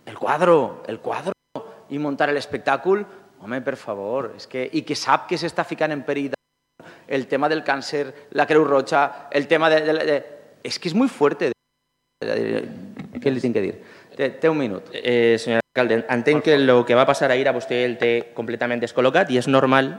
el quadro i muntar l'espectacle, home, per favor, i que sap que s'està ficant en perill el tema del càncer, la Creu Roja, el tema de... És que és molt fuerte. Què li tinc que dir? Té un minut. Senyor alcalde, entenc que el que va passar ahir a vostè el té completament descol·locat i és normal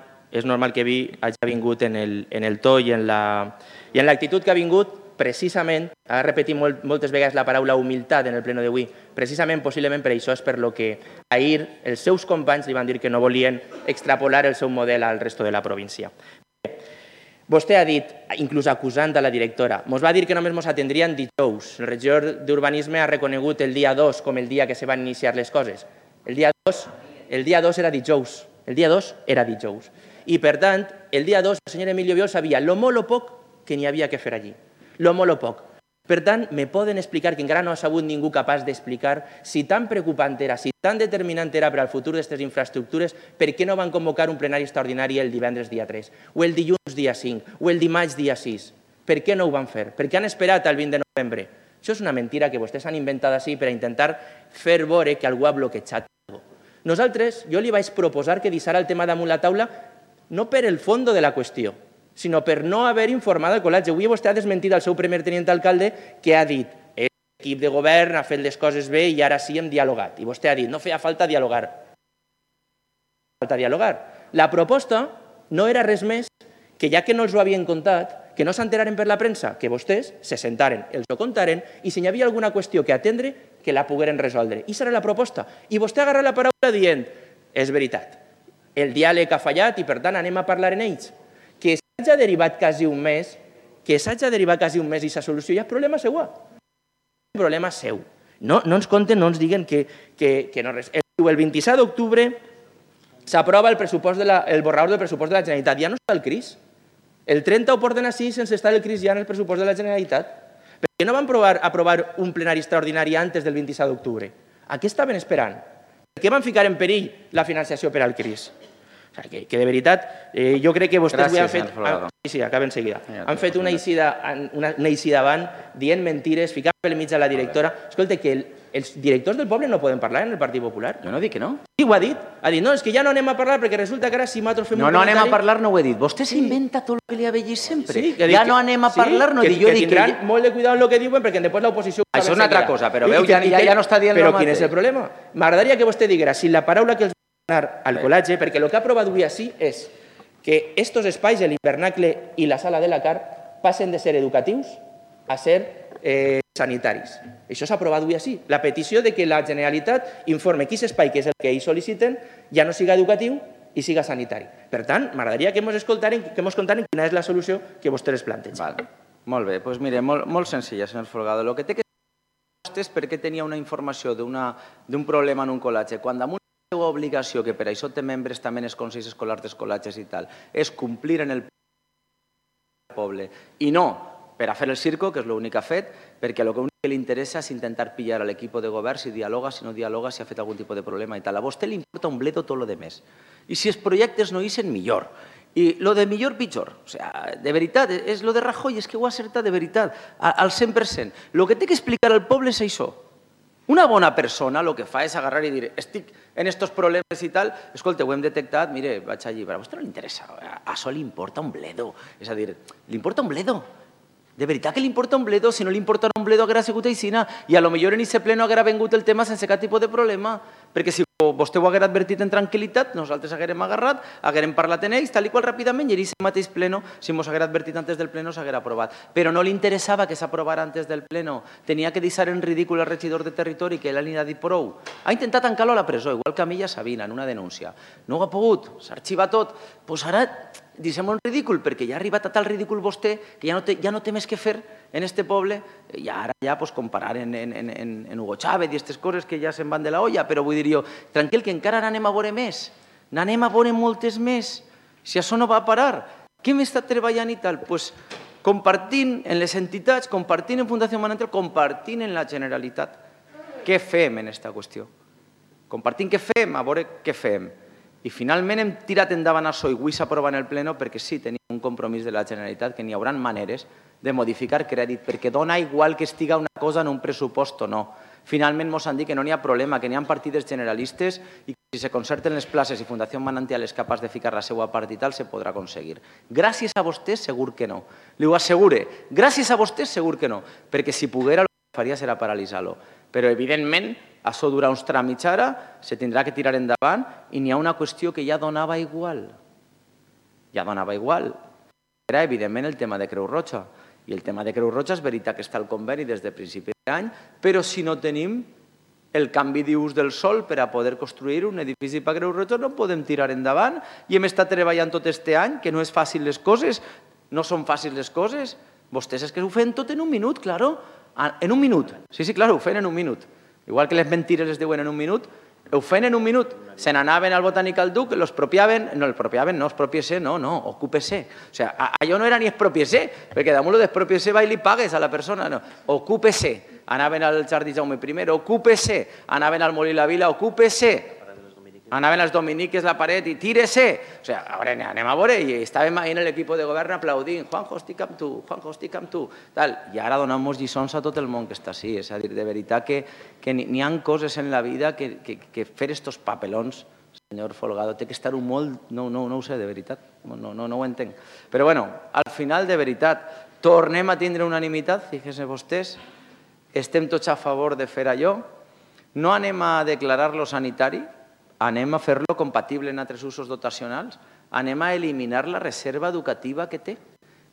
que hagi vingut en el to i en l'actitud que ha vingut precisament, ha repetit moltes vegades la paraula humilitat en el pleno d'avui, precisament, possiblement per això és per lo que ahir els seus companys li van dir que no volien extrapolar el seu model al resto de la província. Vostè ha dit, inclús acusant a la directora, ens va dir que només ens atendrien dijous. El regidor d'Urbanisme ha reconegut el dia 2 com el dia que se van iniciar les coses. El dia 2 era dijous. El dia 2 era dijous. I, per tant, el dia 2 el senyor Emilio Biol sabia lo molt o poc que n'hi havia que fer allí. Lo molt o poc. Per tant, me poden explicar, que encara no ha sabut ningú capaç d'explicar, si tan preocupant era, si tan determinant era per al futur d'aquestes infraestructures, per què no van convocar un plenari extraordinari el divendres dia 3, o el dilluns dia 5, o el dimarts dia 6? Per què no ho van fer? Per què han esperat al 20 de novembre? Això és una mentira que vostès han inventat així per a intentar fer veure que algú ha bloquejat alguna cosa. Nosaltres, jo li vaig proposar que deixara el tema damunt la taula no per el fons de la qüestió, sinó per no haver informat el col·legi. Avui vostè ha desmentit el seu primer tenint alcalde que ha dit l'equip de govern ha fet les coses bé i ara sí hem dialogat. I vostè ha dit no feia falta dialogar. La proposta no era res més que ja que no els ho havien contat, que no s'enteraren per la premsa, que vostès se sentaren, els ho contaren i si hi havia alguna qüestió que atendre, que la pogueren resoldre. I serà la proposta. I vostè agarra la paraula dient és veritat, el diàleg ha fallat i per tant anem a parlar en ells. Que s'hagi derivat quasi un mes, i sa solució ja és problema seu. És problema seu. No ens conten, no ens diguen que no res. El 27 d'octubre s'aprova el borrador del pressupost de la Generalitat. Ja no està el CRIS. El 30 ho porten així sense estar el CRIS ja en el pressupost de la Generalitat. Per què no van aprovar un plenari extraordinari antes del 27 d'octubre? A què estaven esperant? Per què van ficar en perill la financiació per al CRIS? Que de veritat, jo crec que vostès avui han fet... Sí, acaba enseguida. Han fet una eixida avant dient mentires, ficant pel mig a la directora. Escolta, que els directors del poble no poden parlar en el Partit Popular. Jo no dic que no. Sí, ho ha dit. Ha dit, no, és que ja no anem a parlar perquè resulta que ara si nosaltres fem un comentari... No anem a parlar, no ho he dit. Vostè s'inventa tot el que li ha vegit sempre. Ja no anem a parlar, no dic. Que tindran molt de cuidado en el que diuen perquè després l'oposició... Això és una altra cosa, però veu, ja no està dient el mateix. Però quin és el problema? M'agradaria que vostè diguera si la paraula que els al col·legi, perquè el que ha aprovat avui així és que estos espais, l'hivernacle i la sala de la CAR, passen de ser educatius a ser sanitaris. Això s'ha aprovat avui així. La petició de que la Generalitat informe quin espai, que és el que ells sol·liciten, ja no siga educatiu i siga sanitari. Per tant, m'agradaria que ens contaren quina és la solució que vostès es plantegen. Molt bé, doncs mire, molt senzilla, senyor Folgado. El que té que saber vostè és per què tenia una informació d'un problema en un col·legi, quan damunt la seva obligació, que per això té membres també en els consells escolars dels col·legis i tal, és complir en el poble i no per a fer el circo, que és l'únic que ha fet, perquè el que li interessa és intentar pillar a l'equip de govern si dialoga, si no dialoga, si ha fet algun tipus de problema i tal. A vostè li importa un bledo tot lo de més. I si els projectes no ixen, millor. I lo de millor, pitjor. O sigui, de veritat, és lo de Rajoy, és que ho ha acertat de veritat, al 100%. El que té que explicar al poble és això. Una bona persona el que fa és agarrar i dir estic en estos problemes i tal, escolta, ho hem detectat, mire, vaig allí, però a vostè no li interessa, a això li importa un bledo. És a dir, li importa un bledo. De veritat que li importa un bledo, si no li importa un bledo haguera sigut aixina i a lo millor en aquest ple no haguera vengut el tema sense cap tipus de problema, perquè si vostè ho haguera advertit en tranquil·litat, nosaltres haguérem agarrat, haguérem parlat en ells, tal i qual ràpidament, i en aquest mateix pleno, si ens haguera advertit antes del pleno, s'haguera aprovat. Però no li interessava que s'aprovara antes del pleno. Tenia que deixar en ridícul el regidor de territori, que ell li ha dit prou. Ha intentat tancar-lo a la presó, igual que a Milla Sabina, en una denúncia. No ho ha pogut, s'arxiva tot. Doncs ara deixem un ridícul, perquè ja ha arribat a tal ridícul vostè que ja no té més que fer en este poble, i ara ja comparar en Hugo Chávez i aquestes coses que ja se'n van de la olla, però vull dir jo, tranquil, que encara n'anem a veure més, n'anem a veure moltes més, si això no va a parar. Què hem estat treballant i tal? Doncs compartint en les entitats, compartint en Fundació Manantial, compartint en la Generalitat. Què fem en aquesta qüestió? Compartint què fem, a veure què fem. I finalment hem tirat endavant això i avui s'aprova en el pleno perquè sí tenim un compromís de la Generalitat que n'hi haurà maneres de modificar crèdit, perquè dona igual que estiga una cosa en un pressupost o no. Finalment ens han dit que no n'hi ha problema, que n'hi ha partides generalistes i que si se concerten les places i Fundació Manantial és capaç de ficar la seva part i tal, se podrà aconseguir. Gràcies a vostès, segur que no. Li ho assegure. Gràcies a vostès, segur que no. Perquè si poguera, el que faria serà paralitzar-lo. Però, evidentment, això durarà uns tràmits ara, se tindrà que tirar endavant i n'hi ha una qüestió que ja donava igual. Ja donava igual. Era, evidentment, el tema de Creu Roja. I el tema de Creu Roja és veritat que està al conveni des de principi d'any, però si no tenim el canvi d'ús del sòl per a poder construir un edifici per Creu Roja no podem tirar endavant i hem estat treballant tot aquest any, que no és fàcil les coses, no són fàcils les coses. Vostès és que ho feien tot en un minut, claro. En un minut. Sí, claro, ho feien en un minut. Igual que les mentires les diuen en un minut, ho feien en un minut. Se n'anaven al Botànic al Duc, l'expropiaven, no, expropiese, no, ocúpese. O sigui, allò no era ni expropiese, perquè damunt d'expropiese va i li pagues a la persona, no. Ocúpese. Anaven al Jardí Jaume I, ocúpese. Anaven al Molí la Vila, ocúpese. Anaven als dominiques la paret i tírese. O sigui, anem a veure, i estàvem ahí en l'equip de govern aplaudint, Juanjo, estic amb tu, Juanjo, estic amb tu. I ara donem-nos lliçons a tot el món que està així. És a dir, de veritat que n'hi ha coses en la vida que fer estos papelons, senyor Folgado, té que estar molt... No ho sé, de veritat, no ho entenc. Però bueno, al final, de veritat, tornem a tindre unanimitat, fíjense vostès, estem tots a favor de fer allò, no anem a declarar-lo sanitari, anem a fer-lo compatible en altres usos dotacionals, anem a eliminar la reserva educativa que té,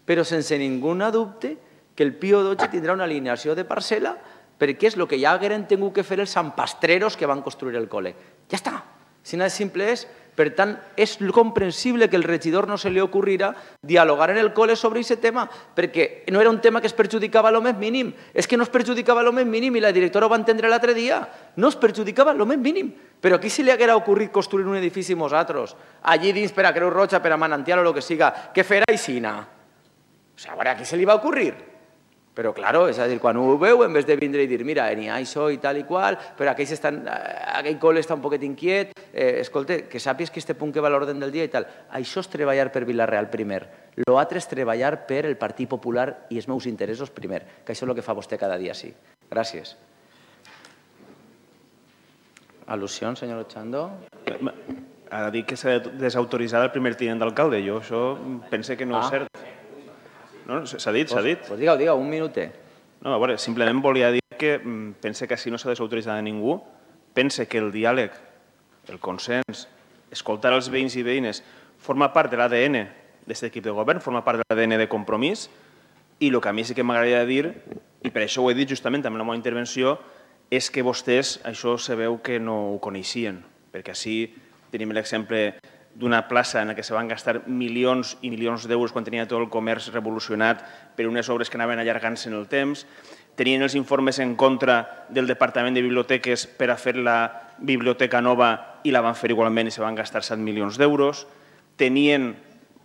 però sense ningú dubte que el Pío XII tindrà una alineació de parcel·la perquè és el que ja hagueren tingut que fer els santpastreros que van construir el col·le. Ja està. Si no és simple és, per tant, és comprensible que el regidor no se li ocorrirà dialogar en el col·le sobre aquest tema, perquè no era un tema que es perjudicava a lo més mínim. És que no es perjudicava a lo més mínim i la directora ho va entendre l'altre dia. No es perjudicava a lo més mínim. Però aquí se li haguera ocorrit construir un edifici nosaltres, allí dins per a Creu Roja, per a Manantial o el que siga, què fer aixina? O sigui, a veure, a qui se li va ocorrir? Però, clar, és a dir, quan ho veu, en vez de vindre i dir, mira, n'hi ha això i tal i qual, però aquell col·le està un poquet inquiet, escolta, que sàpies que aquest punt que va a l'ordre del dia i tal. Això és treballar per Vila-real primer. L'altre és treballar per el Partit Popular i els meus interessos primer, que això és el que fa vostè cada dia, sí. Gràcies. Al·lusions, senyor Ochando? Ha dit que s'ha desautoritzat el primer tinent d'alcalde. Jo això pense que no és cert. No, s'ha dit, s'ha dit. Doncs digue-ho, un minutet. No, a veure, simplement volia dir que pense que així no s'ha desautoritzat a ningú. Pense que el diàleg, el consens, escoltar els veïns i veïnes, forma part de l'ADN d'aquest equip de govern, forma part de l'ADN de Compromís, i el que a mi sí que m'agradaria dir, i per això ho he dit justament també en la meva intervenció, és que vostès això se veu que no ho coneixien, perquè així tenim l'exemple d'una plaça en què se van gastar milions i milions d'euros quan tenia tot el comerç revolucionat per unes obres que anaven allargant-se en el temps. Tenien els informes en contra del Departament de Biblioteques per a fer la biblioteca nova i la van fer igualment i se van gastar 7 milions d'euros.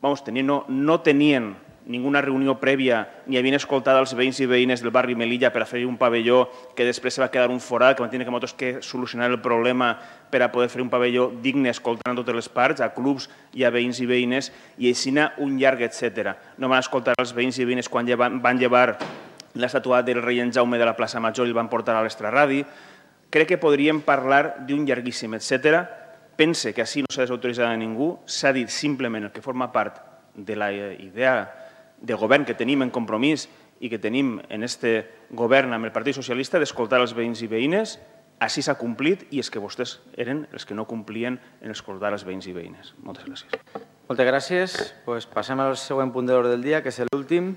No tenien ninguna reunió prèvia ni havien escoltat els veïns i veïnes del barri Melilla per a fer un pavelló que després se va quedar un forat, que van tenir que nosaltres que solucionar el problema per a poder fer un pavelló digne escoltant totes les parts, a clubs i a veïns i veïnes, i així un llarg, etc. No van escoltar els veïns i veïnes quan van llevar l'estàtua del rei en Jaume de la plaça Major i el van portar a l'extraradi. Crec que podríem parlar d'un llarguíssim, etc. Pense que així no s'ha desautoritzat a ningú, s'ha dit simplement el que forma part de la idea de govern que tenim en Compromís i que tenim en aquest govern amb el Partit Socialista d'escoltar els veïns i veïnes, així s'ha complit i és que vostès eren els que no complien en escoltar els veïns i veïnes. Moltes gràcies. Moltes gràcies. Passem al següent punt de l'ordre del dia, que és l'últim,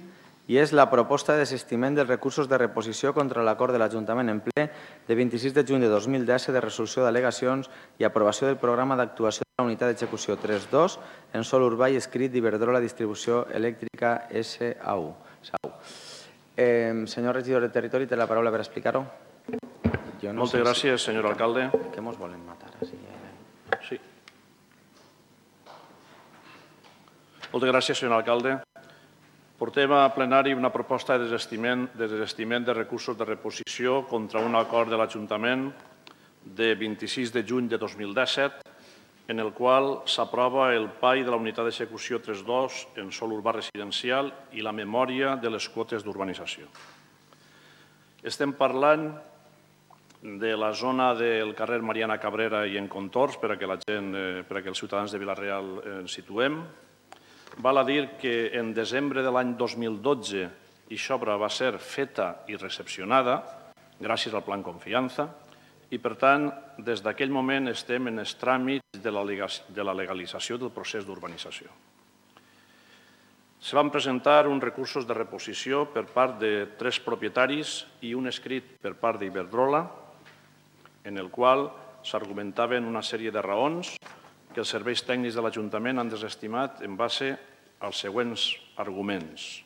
i és la proposta de desistiment dels recursos de reposició contra l'acord de l'Ajuntament en ple de 26 de juny de 2010 de resolució d'al·legacions i aprovació del programa d'actuació de la unitat d'execució 3.2 en sòl urbà i escrit d'Iberdrola Distribució Elèctrica S.A.U. Senyor regidor de Territori, té la paraula per explicar-ho. Moltes gràcies, senyor alcalde. Que ens volen matar? Sí. Moltes gràcies, senyor alcalde. Portem a plenari una proposta de desistiment de recursos de reposició contra un acord de l'Ajuntament de 26 de juny de 2017 en el qual s'aprova el PAI de la unitat d'execució 3.2 en sòl urbà residencial i la memòria de les quotes d'urbanització. Estem parlant de la zona del carrer Mariana Cabrera i en contorns, per a que els ciutadans de Vila-real ens situem. Val a dir que en desembre de l'any 2012 aquesta obra va ser feta i recepcionada gràcies al Plan Confiança i, per tant, des d'aquell moment estem en els tràmits de la legalització del procés d'urbanització. Se van presentar uns recursos de reposició per part de 3 propietaris i un escrit per part d'Iberdrola, en el qual s'argumentaven una sèrie de raons que els serveis tècnics de l'Ajuntament han desestimat en base als següents arguments.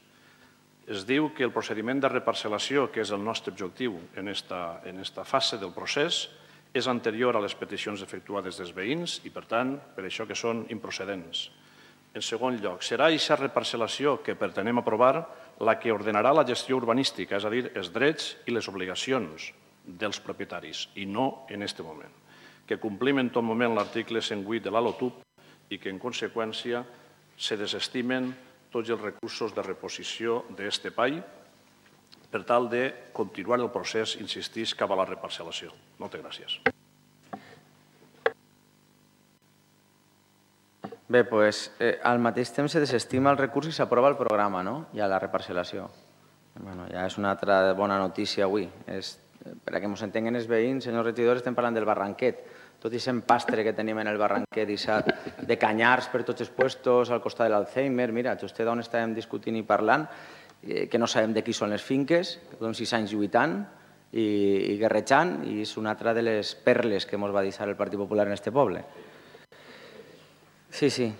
Es diu que el procediment de reparcel·lació, que és el nostre objectiu en esta fase del procés, és anterior a les peticions efectuades dels veïns i, per tant, per això que són improcedents. En segon lloc, serà aquesta reparcel·lació que pretenem aprovar la que ordenarà la gestió urbanística, és a dir, els drets i les obligacions dels propietaris, i no en aquest moment, que complim en tot moment l'article 108 de la LOTUP i que, en conseqüència, se desestimen tots els recursos de reposició d'aquest espai per tal de continuar el procés, insistís, cap a la reparcel·lació. Moltes gràcies. Bé, doncs, al mateix temps se desestima el recurs i s'aprova el programa, no? Ja la reparcel·lació. Ja és una altra bona notícia avui. Per a que ens entenguin els veïns, senyor regidor, estem parlant del Barranquet. Tot i ser pastre que tenim en el Barranquet de canyars per tots els puestos, al costat de l'Alzheimer, mira, just d'on estàvem discutint i parlant, que no sabem de qui són les finques, que són 6 anys lluitant i guerrejant, i és una altra de les perles que ens va deixar el Partit Popular en aquest poble. Sí. Sí,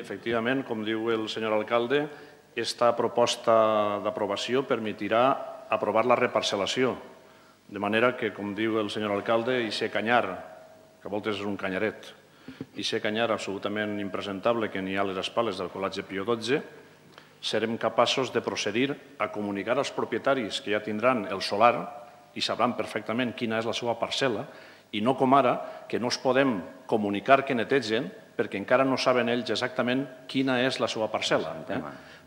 efectivament, com diu el senyor alcalde, aquesta proposta d'aprovació permetirà aprovar la reparcel·lació, de manera que, com diu el senyor alcalde, aquest canyar, que a voltes és un canyaret, aquest canyar absolutament impresentable que n'hi ha a les espales del Col·legi Pío XII, serem capaços de procedir a comunicar als propietaris que ja tindran el solar i sabran perfectament quina és la seva parcel·la, i no com ara, que no es podem comunicar que netegen perquè encara no saben ells exactament quina és la seva parcel·la.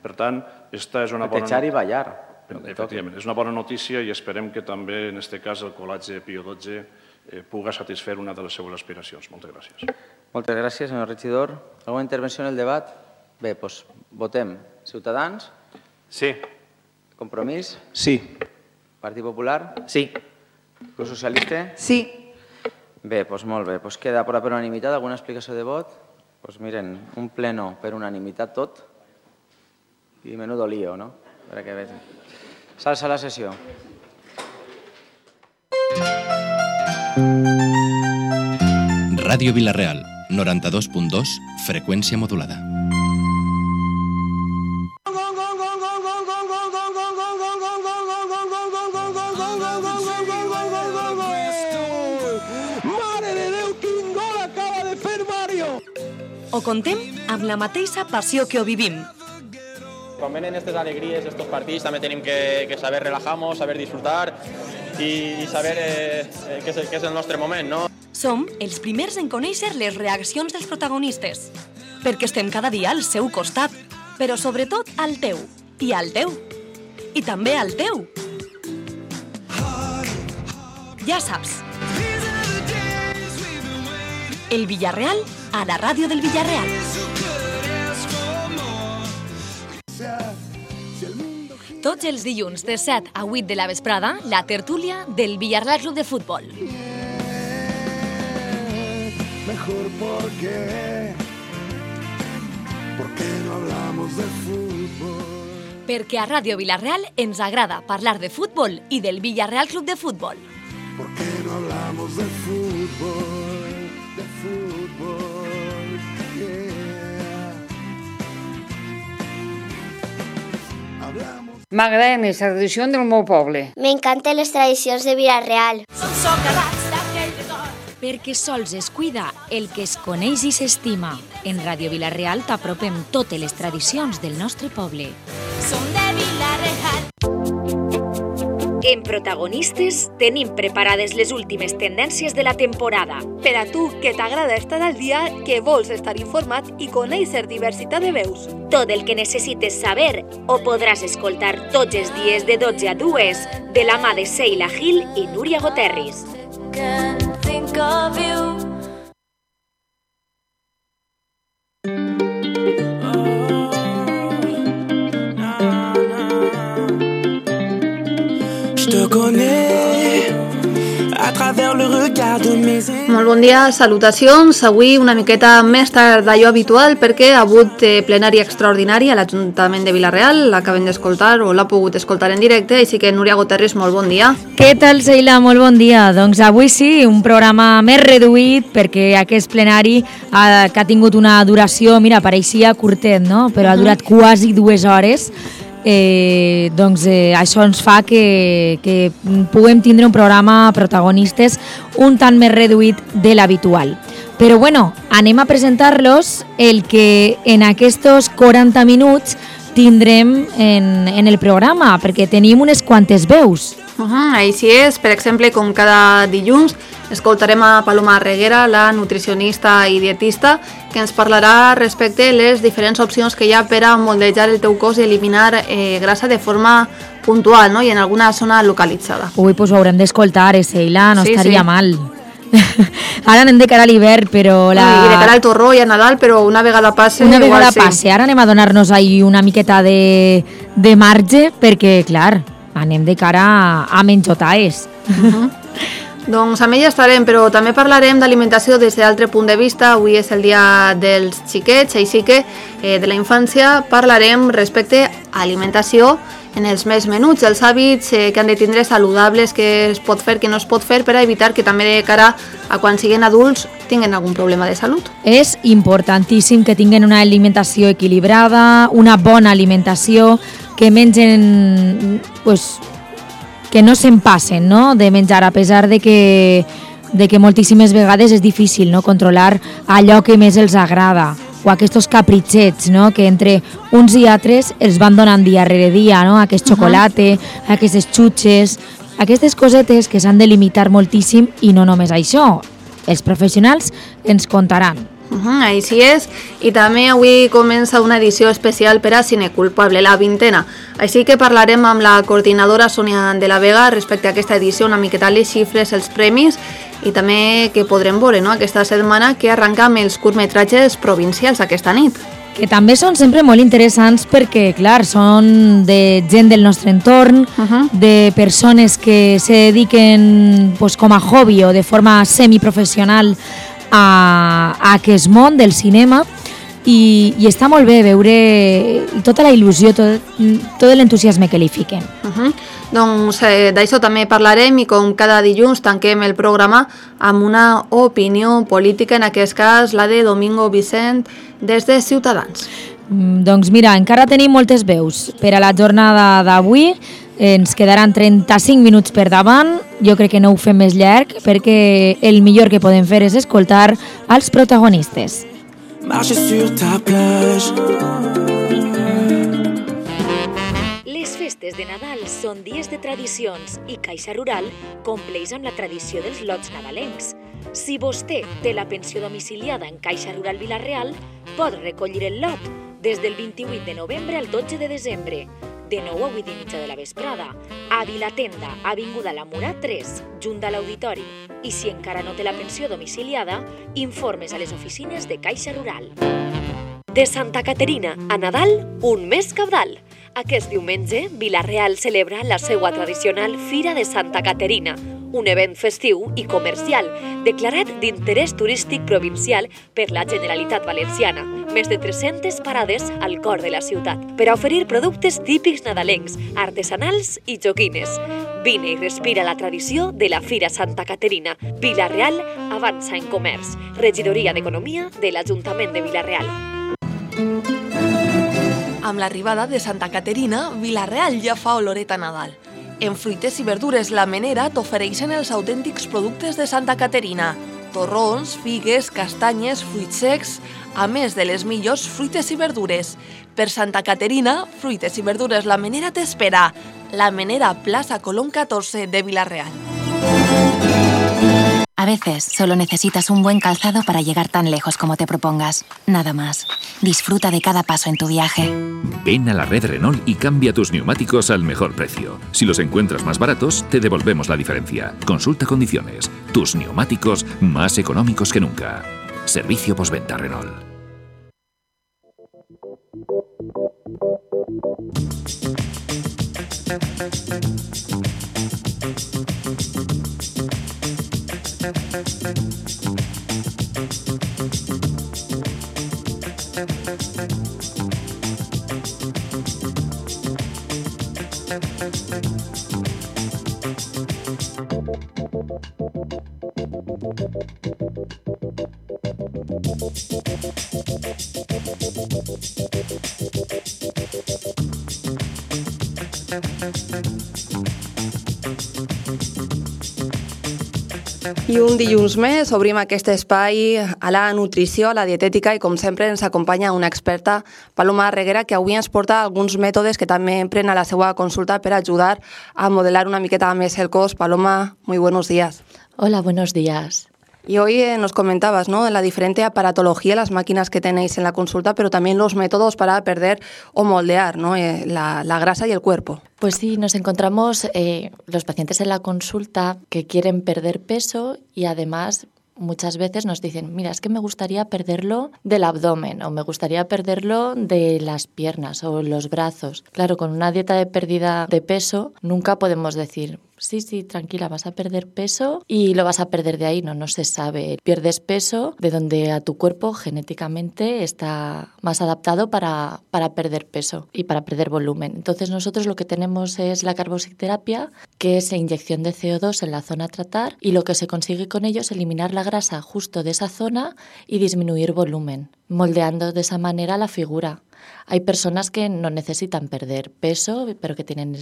Per tant, aquesta és una bona... Netejar i ballar. Efectivament, és una bona notícia i esperem que també, en aquest cas, el Col·legi Pío XII pugui satisfer una de les seves aspiracions. Moltes gràcies. Moltes gràcies, senyor regidor. Alguna intervenció en el debat? Bé, doncs votem. Ciutadans? Sí. Compromís? Sí. Partit Popular? Sí. Grup Socialista? Sí. Bé, doncs molt bé. Doncs queda aprovat per unanimitat. Alguna explicació de vot? Doncs miren, un pleno per unanimitat tot i menudo lío, no? Per que vegin. S'alça la sessió. Ràdio Vila-real, 92.2, freqüència modulada. Ho contem amb la mateixa passió que ho vivim. Quan venen aquestes alegries, estos partits, també tenim que saber relajar-nos, saber disfrutar i saber què és el nostre moment, no? Som els primers en conèixer les reaccions dels protagonistes, perquè estem cada dia al seu costat, però sobretot al teu, i al teu, i també al teu. Ja saps. El Villarreal a la ràdio del Villarreal. Tots els dilluns de 7 a 8 de la vesprada, la tertúlia del Villarreal Club de Futbol. Mejor porque no hablamos de fútbol. Perquè a Ràdio Villarreal ens agrada parlar de futbol i del Villarreal Club de Futbol. Porque no hablamos de fútbol, yeah. M'agrada més la tradició del meu poble. M'encanten les tradicions de Villarreal. Perquè sols es cuida el que es coneix i s'estima. En Ràdio Villarreal t'apropem totes les tradicions del nostre poble. Som de Villarreal. En Protagonistes tenim preparades les últimes tendències de la temporada. Per a tu, que t'agrada estar al dia, que vols estar informat i conèixer diversitat de veus. Tot el que necessites saber ho podràs escoltar tots els dies de 12 a 2 de la mà de Sheila Gil i Núria Goterris. Molt bon dia, salutacions. Avui una miqueta més tard d'allò habitual perquè ha hagut plenari extraordinari a l'Ajuntament de Vila-real. L'acabem d'escoltar o l'ha pogut escoltar en directe, així que Núria Goterris, molt bon dia. Què tal, Sheila? Molt bon dia. Doncs avui sí, un programa més reduït perquè aquest plenari que ha tingut una duració, mira, pareixia curtet, no? Però ha durat quasi 2 hores. Això ens fa que puguem tindre un programa Protagonistes un tant més reduït de l'habitual. Però bueno, anem a presentar-los el que en aquests 40 minuts tindrem en el programa, perquè tenim unes quantes veus. Així és, per exemple, com cada dilluns, escoltarem a Paloma Reguera, la nutricionista i dietista, que ens parlarà respecte a les diferents opcions que hi ha per a moldejar el teu cos i eliminar grassa de forma puntual, no? I en alguna zona localitzada. Ui, doncs ho haurem d'escoltar, Sheila, no estaria mal. Ara anem de cara a l'hivern, però... I de cara al torró i a Nadal, però una vegada passe... Una vegada passe, ara anem a donar-nos ahí una miqueta de marge, perquè, clar, anem de cara a menjotaes. Doncs amb ella estarem, però també parlarem d'alimentació des d'altre punt de vista. Avui és el dia dels xiquets, així que de la infància parlarem respecte a alimentació en els més menuts, els hàbits que han de tindre saludables, que es pot fer, que no es pot fer, per a evitar que també de cara a quan siguin adults tinguen algun problema de salut. És importantíssim que tinguin una alimentació equilibrada, una bona alimentació, que mengen... que no se'n passen, no?, de menjar, a pesar de que moltíssimes vegades és difícil, no?, controlar allò que més els agrada, o aquests capritxets, no?, que entre uns i altres els van donant dia rere dia, no?, aquest xocolate, aquestes xutxes, aquestes cosetes que s'han de limitar moltíssim, i no només això, els professionals ens contaran. Així és, i també avui comença una edició especial per a Cineculpable, la 20ª. Així que parlarem amb la coordinadora Sònia de la Vega respecte a aquesta edició, una miqueta les xifres, els premis, i també que podrem veure, no?, aquesta setmana que arranca amb els curtmetratges provincials aquesta nit. Que també són sempre molt interessants perquè, clar, són de gent del nostre entorn, de persones que se dediquen com a hobby o de forma semiprofessional a aquest món del cinema, i està molt bé veure tota la il·lusió, tot l'entusiasme que li fiquen. Doncs d'això també parlarem, i com cada dilluns tanquem el programa amb una opinió política, en aquest cas la de Domingo Vicent des de Ciutadans. Doncs mira, encara tenim moltes veus per a la jornada d'avui. Ens quedaran 35 minuts per davant. Jo crec que no ho fem més llarg, perquè el millor que podem fer és escoltar els protagonistes. Les festes de Nadal són dies de tradicions i Caixa Rural compleix amb la tradició dels lots nadalencs. Si vostè té la pensió domiciliada en Caixa Rural Vila-real, pot recollir el lot des del 28 de novembre al 12 de desembre, de 9 a 8 i mitja de la vesprada, a Vilatenda, avinguda La Mura 3, junt a l'Auditori. I si encara no té la pensió domiciliada, informes a les oficines de Caixa Rural. De Santa Caterina a Nadal, un mes cabdal. Aquest diumenge, Vila-real celebra la seva tradicional Fira de Santa Caterina, un event festiu i comercial declarat d'interès turístic provincial per la Generalitat Valenciana. Més de 300 parades al cor de la ciutat per a oferir productes típics nadalencs, artesanals i joguines. Vine i respira la tradició de la Fira Santa Caterina. Vila-real avança en comerç. Regidoria d'Economia de l'Ajuntament de Vila-real. Amb l'arribada de Santa Caterina, Vila-real ja fa oloret a Nadal. En fruites i verdures La Menera t'ofereixen els autèntics productes de Santa Caterina. Torrons, figues, castanyes, fruits secs, a més de les millors fruites i verdures. Per Santa Caterina, fruites i verdures La Menera t'espera. La Menera, Plaza Colón 14 de Vila-real. A veces solo necesitas un buen calzado para llegar tan lejos como te propongas. Nada más. Disfruta de cada paso en tu viaje. Ven a la red Renault y cambia tus neumáticos al mejor precio. Si los encuentras más baratos, te devolvemos la diferencia. Consulta condiciones. Tus neumáticos más económicos que nunca. Servicio postventa Renault. I un dilluns més obrim aquest espai a la nutrició, a la dietètica i com sempre ens acompanya una experta, Paloma Reguera, que avui ens porta alguns mètodes que també empren a la seva consulta per ajudar a modelar una miqueta més el cos. Paloma, muy buenos días. Hola, buenos días. Y hoy nos comentabas, ¿no?, la diferente aparatología, las máquinas que tenéis en la consulta, pero también los métodos para perder o moldear, ¿no?, la grasa y el cuerpo. Pues sí, nos encontramos los pacientes en la consulta que quieren perder peso y además muchas veces nos dicen, mira, es que me gustaría perderlo del abdomen o me gustaría perderlo de las piernas o los brazos. Claro, con una dieta de pérdida de peso nunca podemos decir, sí, tranquila, vas a perder peso y lo vas a perder de ahí. No se sabe. Pierdes peso de donde a tu cuerpo genéticamente está más adaptado para perder peso y para perder volumen. Entonces nosotros lo que tenemos es la carboxiterapia, que es inyección de CO2 en la zona a tratar, y lo que se consigue con ello es eliminar la grasa justo de esa zona y disminuir volumen, moldeando de esa manera la figura. Hay personas que no necesitan perder peso, pero que tienen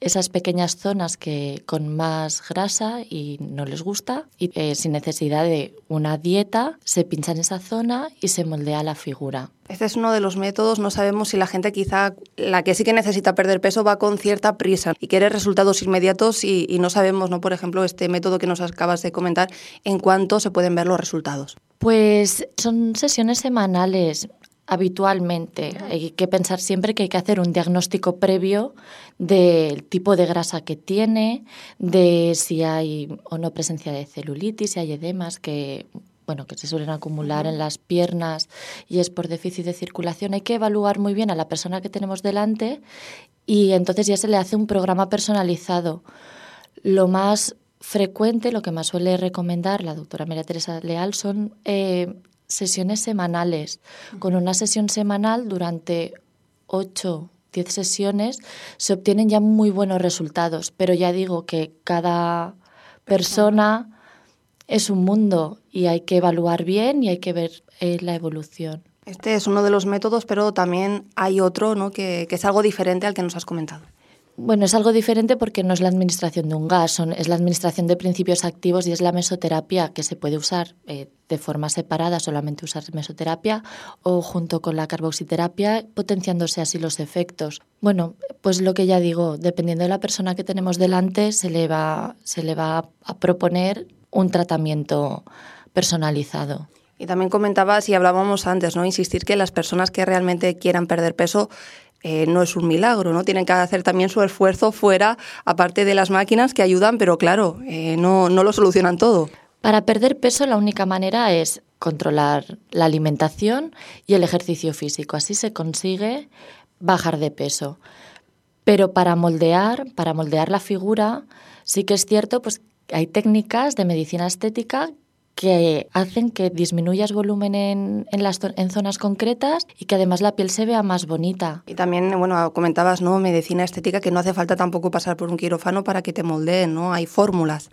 esas pequeñas zonas que con más grasa y no les gusta y sin necesidad de una dieta se pinchan esa zona y se moldea la figura. Este es uno de los métodos. No sabemos si la gente, quizá la que sí que necesita perder peso, va con cierta prisa y quiere resultados inmediatos y no sabemos, ¿no?, por ejemplo, este método que nos acabas de comentar, en cuánto se pueden ver los resultados. Pues son sesiones semanales. Habitualmente hay que pensar siempre que hay que hacer un diagnóstico previo del tipo de grasa que tiene, de si hay o no presencia de celulitis, si hay edemas que se suelen acumular en las piernas y es por déficit de circulación. Hay que evaluar muy bien a la persona que tenemos delante y entonces ya se le hace un programa personalizado. Lo más frecuente, lo que más suele recomendar la doctora María Teresa Leal son sesiones semanales. Con una sesión semanal durante 8-10 sesiones se obtienen ya muy buenos resultados, pero ya digo que cada persona es un mundo y hay que evaluar bien y hay que ver la evolución. Este es uno de los métodos, pero también hay otro, ¿no?, que es algo diferente al que nos has comentado. Bueno, es algo diferente porque no es la administración de un gas, es la administración de principios activos y es la mesoterapia, que se puede usar de forma separada, solamente usar mesoterapia, o junto con la carboxiterapia, potenciándose así los efectos. Bueno, pues lo que ya digo, dependiendo de la persona que tenemos delante, se le va a proponer un tratamiento personalizado. Y también comentabas, y hablábamos antes, ¿no?, insistir que las personas que realmente quieran perder peso no es un milagro, ¿no? Tienen que hacer también su esfuerzo fuera, aparte de las máquinas que ayudan, pero claro, no lo solucionan todo. Para perder peso la única manera es controlar la alimentación y el ejercicio físico. Así se consigue bajar de peso. Pero para moldear la figura, sí que es cierto, pues hay técnicas de medicina estética que hacen que disminuyas volumen en zonas concretas y que además la piel se vea más bonita. Y también, comentabas, ¿no?, medicina estética, que no hace falta tampoco pasar por un quirófano para que te moldeen, ¿no? Hay fórmulas.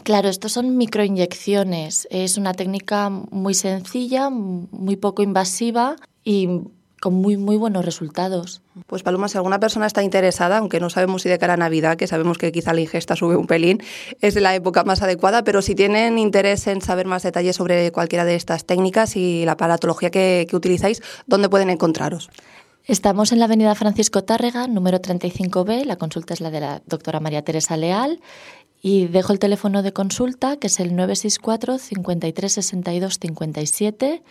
Claro, estos son microinyecciones. Es una técnica muy sencilla, muy poco invasiva y con muy buenos resultados. Pues Paloma, si alguna persona está interesada, aunque no sabemos si de cara a Navidad, que sabemos que quizá la ingesta sube un pelín, es la época más adecuada, pero si tienen interés en saber más detalles sobre cualquiera de estas técnicas y la aparatología que utilizáis, ¿dónde pueden encontraros? Estamos en la avenida Francisco Tárrega, número 35B. La consulta es la de la doctora María Teresa Leal. Y dejo el teléfono de consulta, que es el 964 53 62 57.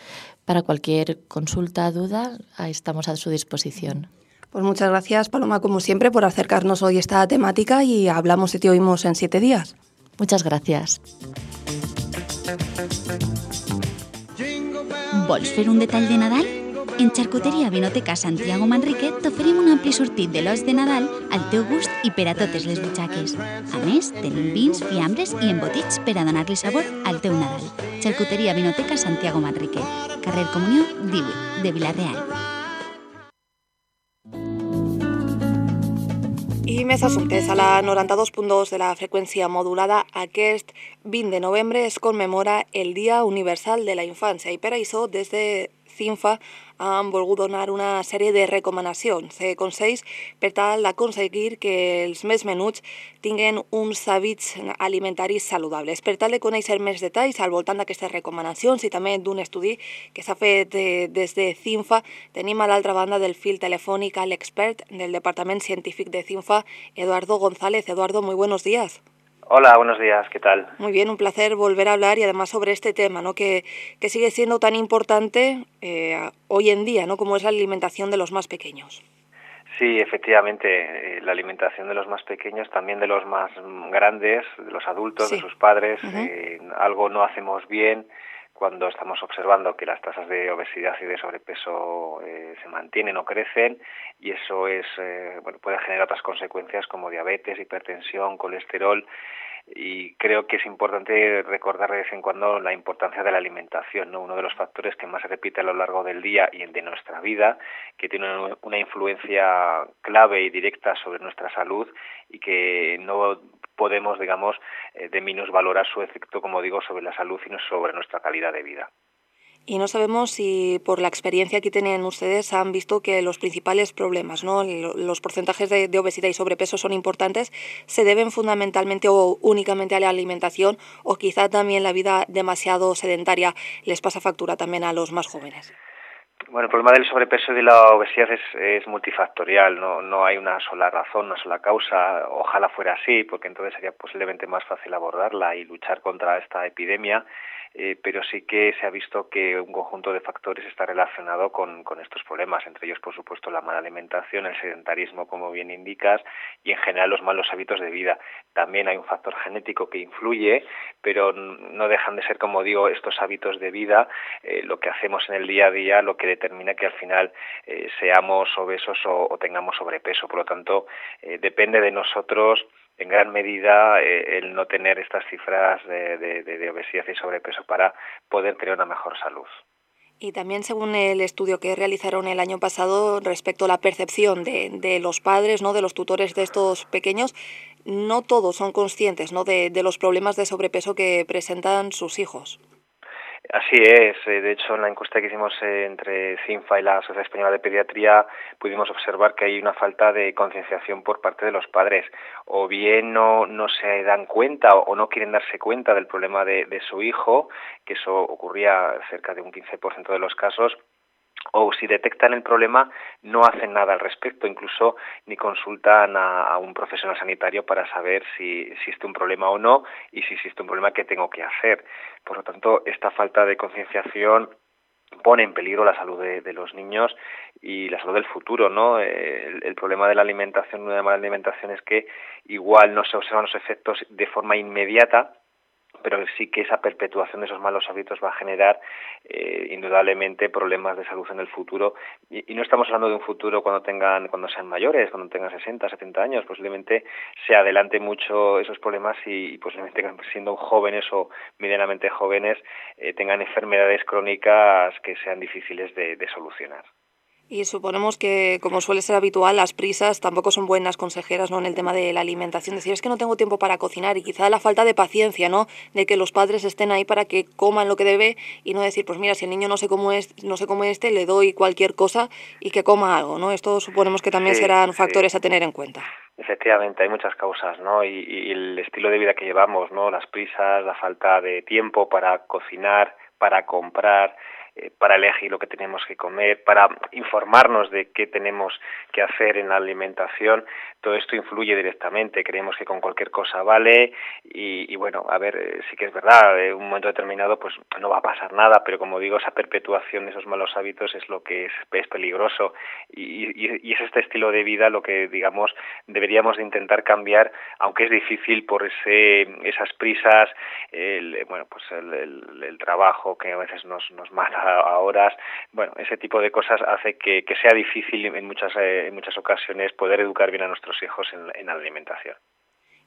Para cualquier consulta, duda, ahí estamos a su disposición. Pues muchas gracias, Paloma, como siempre, por acercarnos hoy a esta temática y hablamos y te oímos en 7 días. Muchas gracias. Vols fer un detall de Nadal? En Xarcuteria Vinoteca Santiago Manrique t'oferim un ampli sortit de lots de Nadal al teu gust i per a totes les butxaques. A més, tenim vins, fiambres i embotits per a donar-li sabor al teu Nadal. Xarcuteria Vinoteca Santiago Manrique, carrer Comunió 18, de Vila-real. I més assumptes. A la 92.2 de la freqüència modulada, aquest 20 de novembre es commemora el Dia Universal de la Infància i per això des de CINFA han volgut donar una sèrie de recomanacions, consells per tal d'aconseguir que els més menuts tinguin uns hàbits alimentaris saludables. Per tal de conèixer més detalls al voltant d'aquestes recomanacions i també d'un estudi que s'ha fet des de CINFA, tenim a l'altra banda del fil telefònic a l'expert del Departament Científic de CINFA, Eduardo González. Eduardo, muy buenos días. Hola, buenos días, ¿qué tal? Muy bien, un placer volver a hablar y además sobre este tema, ¿no? que sigue siendo tan importante hoy en día, ¿no? Como es la alimentación de los más pequeños. Sí, efectivamente, la alimentación de los más pequeños, también de los más grandes, de los adultos, sí, de sus padres, algo no hacemos bien cuando estamos observando que las tasas de obesidad y de sobrepeso se mantienen o crecen, y eso puede generar otras consecuencias como diabetes, hipertensión, colesterol, y creo que es importante recordar de vez en cuando la importancia de la alimentación, ¿no? Uno de los factores que más se repite a lo largo del día y de nuestra vida, que tiene una influencia clave y directa sobre nuestra salud y que no podemos, digamos, de minusvalorar su efecto, como digo, sobre la salud y sobre nuestra calidad de vida. Y no sabemos si por la experiencia que tienen ustedes han visto que los principales problemas, ¿no? Los porcentajes de obesidad y sobrepeso son importantes, se deben fundamentalmente o únicamente a la alimentación, o quizá también la vida demasiado sedentaria les pasa factura también a los más jóvenes. Bueno, el problema del sobrepeso y de la obesidad es multifactorial, no hay una sola razón, una sola causa. Ojalá fuera así, porque entonces sería posiblemente más fácil abordarla y luchar contra esta epidemia, pero sí que se ha visto que un conjunto de factores está relacionado con estos problemas, entre ellos, por supuesto, la mala alimentación, el sedentarismo, como bien indicas, y en general los malos hábitos de vida. También hay un factor genético que influye, pero no dejan de ser, como digo, estos hábitos de vida, lo que hacemos en el día a día, lo que determina que al final seamos obesos o tengamos sobrepeso. Por lo tanto, depende de nosotros en gran medida el no tener estas cifras de obesidad y sobrepeso para poder tener una mejor salud. Y también según el estudio que realizaron el año pasado respecto a la percepción de los padres, ¿no? De los tutores de estos pequeños, no todos son conscientes, ¿no? de los problemas de sobrepeso que presentan sus hijos. Así es, de hecho en la encuesta que hicimos entre CINFA y la Sociedad Española de Pediatría pudimos observar que hay una falta de concienciación por parte de los padres, o bien no se dan cuenta o no quieren darse cuenta del problema de su hijo, que eso ocurría cerca de un 15% de los casos, o si detectan el problema no hacen nada al respecto, incluso ni consultan a un profesional sanitario para saber si existe un problema o no, y si existe un problema, ¿qué tengo que hacer? Por lo tanto, esta falta de concienciación pone en peligro la salud de los niños y la salud del futuro, ¿no? El problema de la alimentación, una mala alimentación, es que igual no se observan los efectos de forma inmediata, pero sí que esa perpetuación de esos malos hábitos va a generar indudablemente problemas de salud en el futuro, y no estamos hablando de un futuro cuando sean mayores, cuando tengan 60, 70 años, posiblemente se adelante mucho esos problemas y posiblemente siendo jóvenes o medianamente jóvenes tengan enfermedades crónicas que sean difíciles de solucionar. Y suponemos que, como suele ser habitual, las prisas tampoco son buenas consejeras, ¿no? En el tema de la alimentación. Decir, es que no tengo tiempo para cocinar, y quizá la falta de paciencia, ¿no? De que los padres estén ahí para que coman lo que debe y no decir, pues mira, si el niño no se come este, le doy cualquier cosa y que coma algo, ¿no? Esto suponemos que también serán factores a tener en cuenta. Efectivamente, hay muchas causas, ¿no? Y el estilo de vida que llevamos, ¿no? Las prisas, la falta de tiempo para cocinar, para comprar, para elegir lo que tenemos que comer, para informarnos de qué tenemos que hacer en la alimentación. Todo esto influye directamente. Creemos que con cualquier cosa vale y bueno, a ver, sí que es verdad, en un momento determinado pues no va a pasar nada, pero como digo, esa perpetuación de esos malos hábitos es lo que es peligroso y es este estilo de vida lo que, digamos, deberíamos de intentar cambiar, aunque es difícil por esas prisas, el trabajo que a veces nos mata a horas. Bueno, ese tipo de cosas hace que sea difícil en muchas ocasiones poder educar bien a nuestros hijos en la alimentación.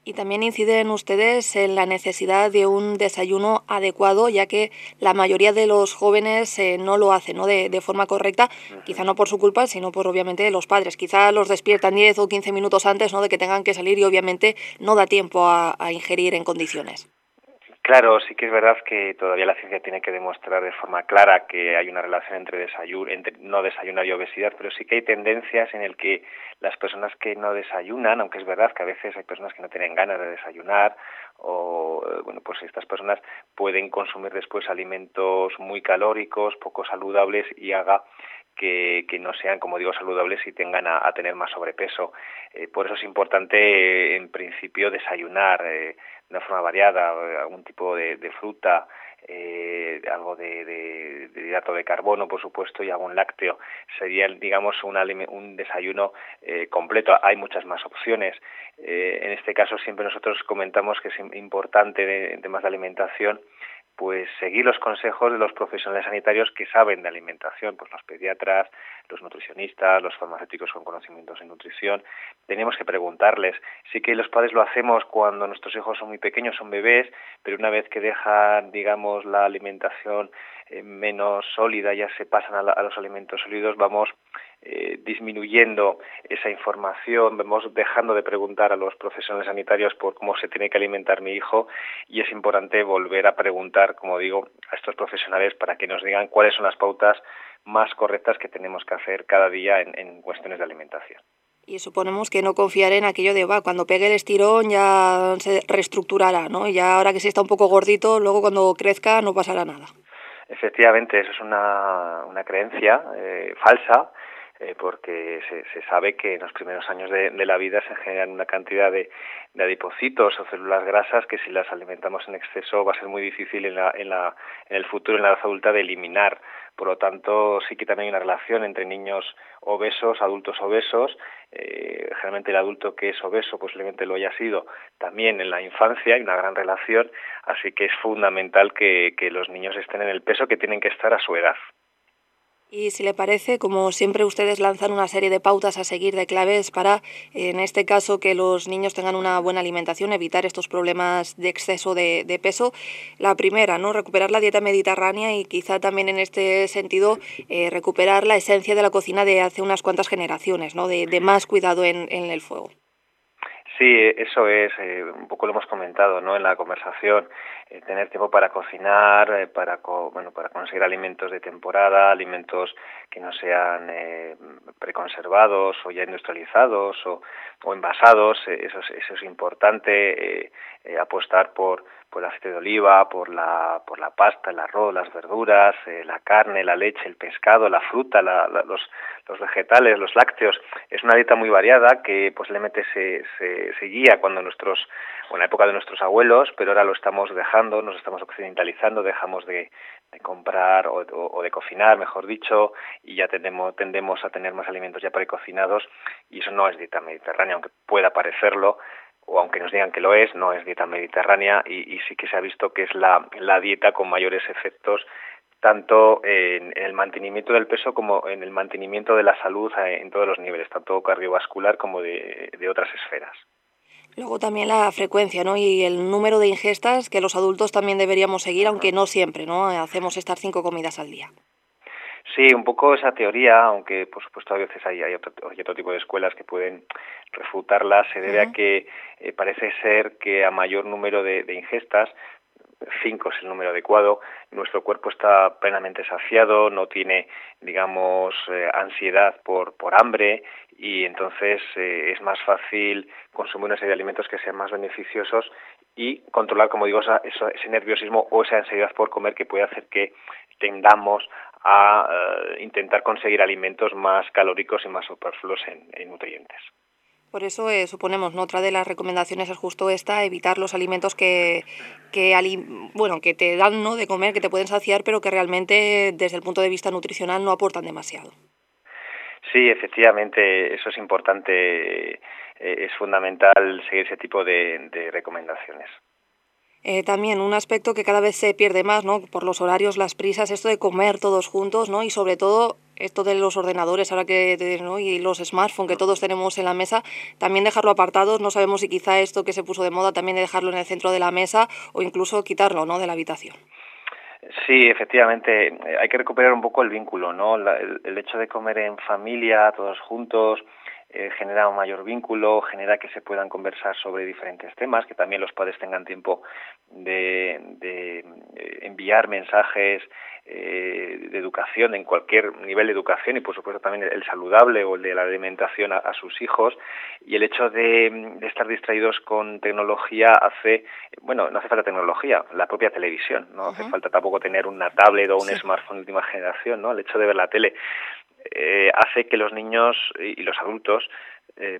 Y también inciden ustedes en la necesidad de un desayuno adecuado, ya que la mayoría de los jóvenes no lo hacen, ¿no? De forma correcta, quizá no por su culpa, sino por obviamente los padres. Quizá los despiertan 10 o 15 minutos antes, ¿no?, de que tengan que salir y obviamente no da tiempo a ingerir en condiciones. Claro, sí que es verdad que todavía la ciencia tiene que demostrar de forma clara que hay una relación entre no desayunar y obesidad, pero sí que hay tendencias en el que las personas que no desayunan, aunque es verdad que a veces hay personas que no tienen ganas de desayunar, o bueno, pues estas personas pueden consumir después alimentos muy calóricos, poco saludables y haga que no sean, como digo, saludables y tengan a tener más sobrepeso. Por eso es importante, en principio, desayunar de una forma variada, algún tipo de fruta, algo de hidrato de carbono, por supuesto, y algún lácteo. Sería, digamos, un desayuno completo. Hay muchas más opciones. En este caso, siempre nosotros comentamos que es importante en temas de alimentación pues seguir los consejos de los profesionales sanitarios que saben de alimentación, pues los pediatras, los nutricionistas, los farmacéuticos con conocimientos en nutrición. Tenemos que preguntarles. Sí que los padres lo hacemos cuando nuestros hijos son muy pequeños, son bebés, pero una vez que dejan, digamos, la alimentación menos sólida, ya se pasan a los alimentos sólidos, vamos disminuyendo esa información, vamos dejando de preguntar a los profesionales sanitarios por cómo se tiene que alimentar mi hijo, y es importante volver a preguntar, como digo, a estos profesionales para que nos digan cuáles son las pautas más correctas que tenemos que hacer cada día en cuestiones de alimentación. Y suponemos que no confiar en aquello de, cuando pegue el estirón ya se reestructurará, ¿no? Y ya ahora que sí está un poco gordito, luego cuando crezca no pasará nada. Efectivamente, eso es una creencia falsa, porque se sabe que en los primeros años de la vida se generan una cantidad de adipocitos o células grasas que si las alimentamos en exceso va a ser muy difícil en el futuro, en la edad adulta, de eliminar. Por lo tanto, sí que también hay una relación entre niños obesos, adultos obesos. Generalmente el adulto que es obeso posiblemente lo haya sido también en la infancia, hay una gran relación, así que es fundamental que los niños estén en el peso que tienen que estar a su edad. Y si le parece, como siempre, ustedes lanzan una serie de pautas a seguir, de claves para, en este caso, que los niños tengan una buena alimentación, evitar estos problemas de exceso de peso. La primera, ¿no?, recuperar la dieta mediterránea y quizá también en este sentido recuperar la esencia de la cocina de hace unas cuantas generaciones, ¿no?, de más cuidado en el fuego. Sí, eso es, un poco lo hemos comentado, ¿no?, en la conversación, tener tiempo para cocinar, para conseguir alimentos de temporada, alimentos que no sean preconservados o ya industrializados o envasados, eso es importante, apostar por el aceite de oliva, por la pasta, el arroz, las verduras, la carne, la leche, el pescado, la fruta, los vegetales, los lácteos. Es una dieta muy variada que posiblemente se guía en la época de nuestros abuelos, pero ahora lo estamos dejando, nos estamos occidentalizando, dejamos de comprar o de cocinar, mejor dicho, y ya tendemos a tener más alimentos ya precocinados, y eso no es dieta mediterránea, aunque pueda parecerlo, o aunque nos digan que lo es, no es dieta mediterránea, y sí que se ha visto que es la dieta con mayores efectos tanto en el mantenimiento del peso como en el mantenimiento de la salud en todos los niveles, tanto cardiovascular como de otras esferas. Luego también la frecuencia, ¿no?, y el número de ingestas que los adultos también deberíamos seguir, aunque no siempre, ¿no?, hacemos estas 5 comidas al día. Sí, un poco esa teoría, aunque por supuesto a veces hay otro tipo de escuelas que pueden refutarla, se debe a que parece ser que a mayor número de ingestas, 5 es el número adecuado, nuestro cuerpo está plenamente saciado, no tiene, digamos, ansiedad por hambre, y entonces es más fácil consumir una serie de alimentos que sean más beneficiosos y controlar, como digo, ese nerviosismo o esa ansiedad por comer que puede hacer que tendamos a intentar conseguir alimentos más calóricos y más superfluos en nutrientes. Por eso suponemos, ¿no? Otra de las recomendaciones es justo esta, evitar los alimentos que te dan, ¿no?, de comer, que te pueden saciar, pero que realmente desde el punto de vista nutricional no aportan demasiado. Sí, efectivamente, eso es importante, es fundamental seguir ese tipo de recomendaciones. También un aspecto que cada vez se pierde más, ¿no?, por los horarios, las prisas, esto de comer todos juntos, ¿no?, y sobre todo esto de los ordenadores ahora ¿no?, y los smartphones que todos tenemos en la mesa, también dejarlo apartados. No sabemos si quizá esto que se puso de moda también de dejarlo en el centro de la mesa o incluso quitarlo, ¿no?, de la habitación. Sí, efectivamente, hay que recuperar un poco el vínculo, ¿no? El hecho de comer en familia, todos juntos, genera un mayor vínculo, genera que se puedan conversar sobre diferentes temas, que también los padres tengan tiempo de enviar mensajes de educación en cualquier nivel de educación y por supuesto también el saludable o el de la alimentación a sus hijos. Y el hecho de estar distraídos con tecnología no hace falta tecnología, la propia televisión, no hace falta tampoco tener una tablet o un smartphone de última generación, ¿no? El hecho de ver la tele hace que los niños y los adultos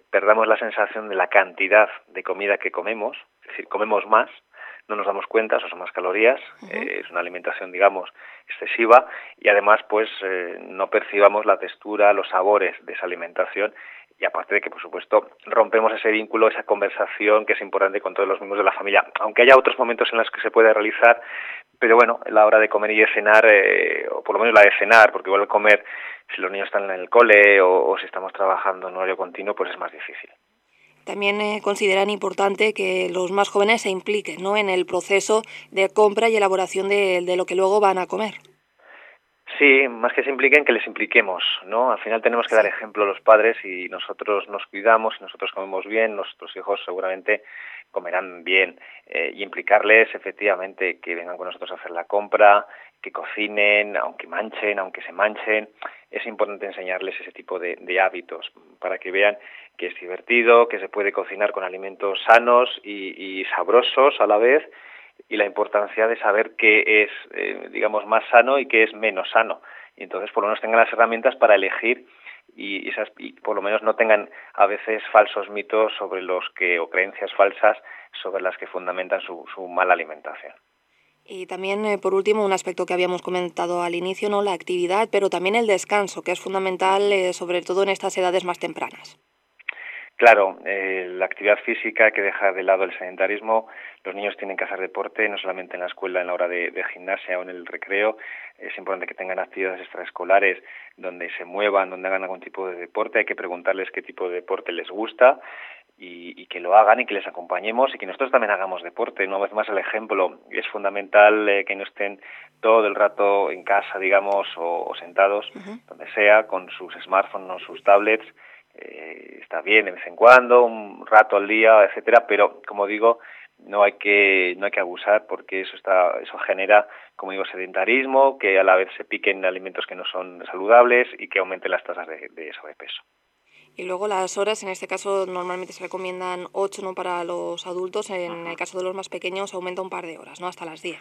perdamos la sensación de la cantidad de comida que comemos, es decir, comemos más, no nos damos cuenta, son más calorías, es una alimentación, digamos, excesiva y además pues no percibamos la textura, los sabores de esa alimentación y aparte de que, por supuesto, rompemos ese vínculo, esa conversación que es importante con todos los miembros de la familia, aunque haya otros momentos en los que se puede realizar, pero bueno, la hora de comer y de cenar, o por lo menos la de cenar, porque igual comer, si los niños están en el cole o si estamos trabajando en horario continuo, pues es más difícil. También consideran importante que los más jóvenes se impliquen, ¿no?, en el proceso de compra y elaboración de lo que luego van a comer. Sí, más que se impliquen, que les impliquemos, ¿no? Al final tenemos que dar ejemplo a los padres y nosotros nos cuidamos y nosotros comemos bien, nuestros hijos seguramente comerán bien y implicarles efectivamente que vengan con nosotros a hacer la compra, que cocinen, aunque se manchen. Es importante enseñarles ese tipo de hábitos para que vean que es divertido, que se puede cocinar con alimentos sanos y sabrosos a la vez, y la importancia de saber qué es, digamos, más sano y qué es menos sano. Y entonces por lo menos tengan las herramientas para elegir y por lo menos no tengan a veces falsos mitos sobre o creencias falsas sobre las que fundamentan su mala alimentación. Y también, por último, un aspecto que habíamos comentado al inicio, ¿no?, la actividad, pero también el descanso, que es fundamental, sobre todo en estas edades más tempranas. Claro, la actividad física, hay que dejar de lado el sedentarismo. Los niños tienen que hacer deporte, no solamente en la escuela, en la hora de gimnasia o en el recreo. Es importante que tengan actividades extraescolares donde se muevan, donde hagan algún tipo de deporte. Hay que preguntarles qué tipo de deporte les gusta y que lo hagan y que les acompañemos y que nosotros también hagamos deporte. Una vez más el ejemplo. Es fundamental que no estén todo el rato en casa, digamos, o sentados, donde sea, con sus smartphones o sus tablets. Está bien de vez en cuando, un rato al día, etcétera, pero como digo, no hay que abusar porque eso genera, como digo, sedentarismo, que a la vez se piquen alimentos que no son saludables y que aumenten las tasas de sobrepeso. Y luego las horas, en este caso normalmente se recomiendan 8, ¿no?, para los adultos, en el caso de los más pequeños aumenta un par de horas, ¿no?, hasta las 10.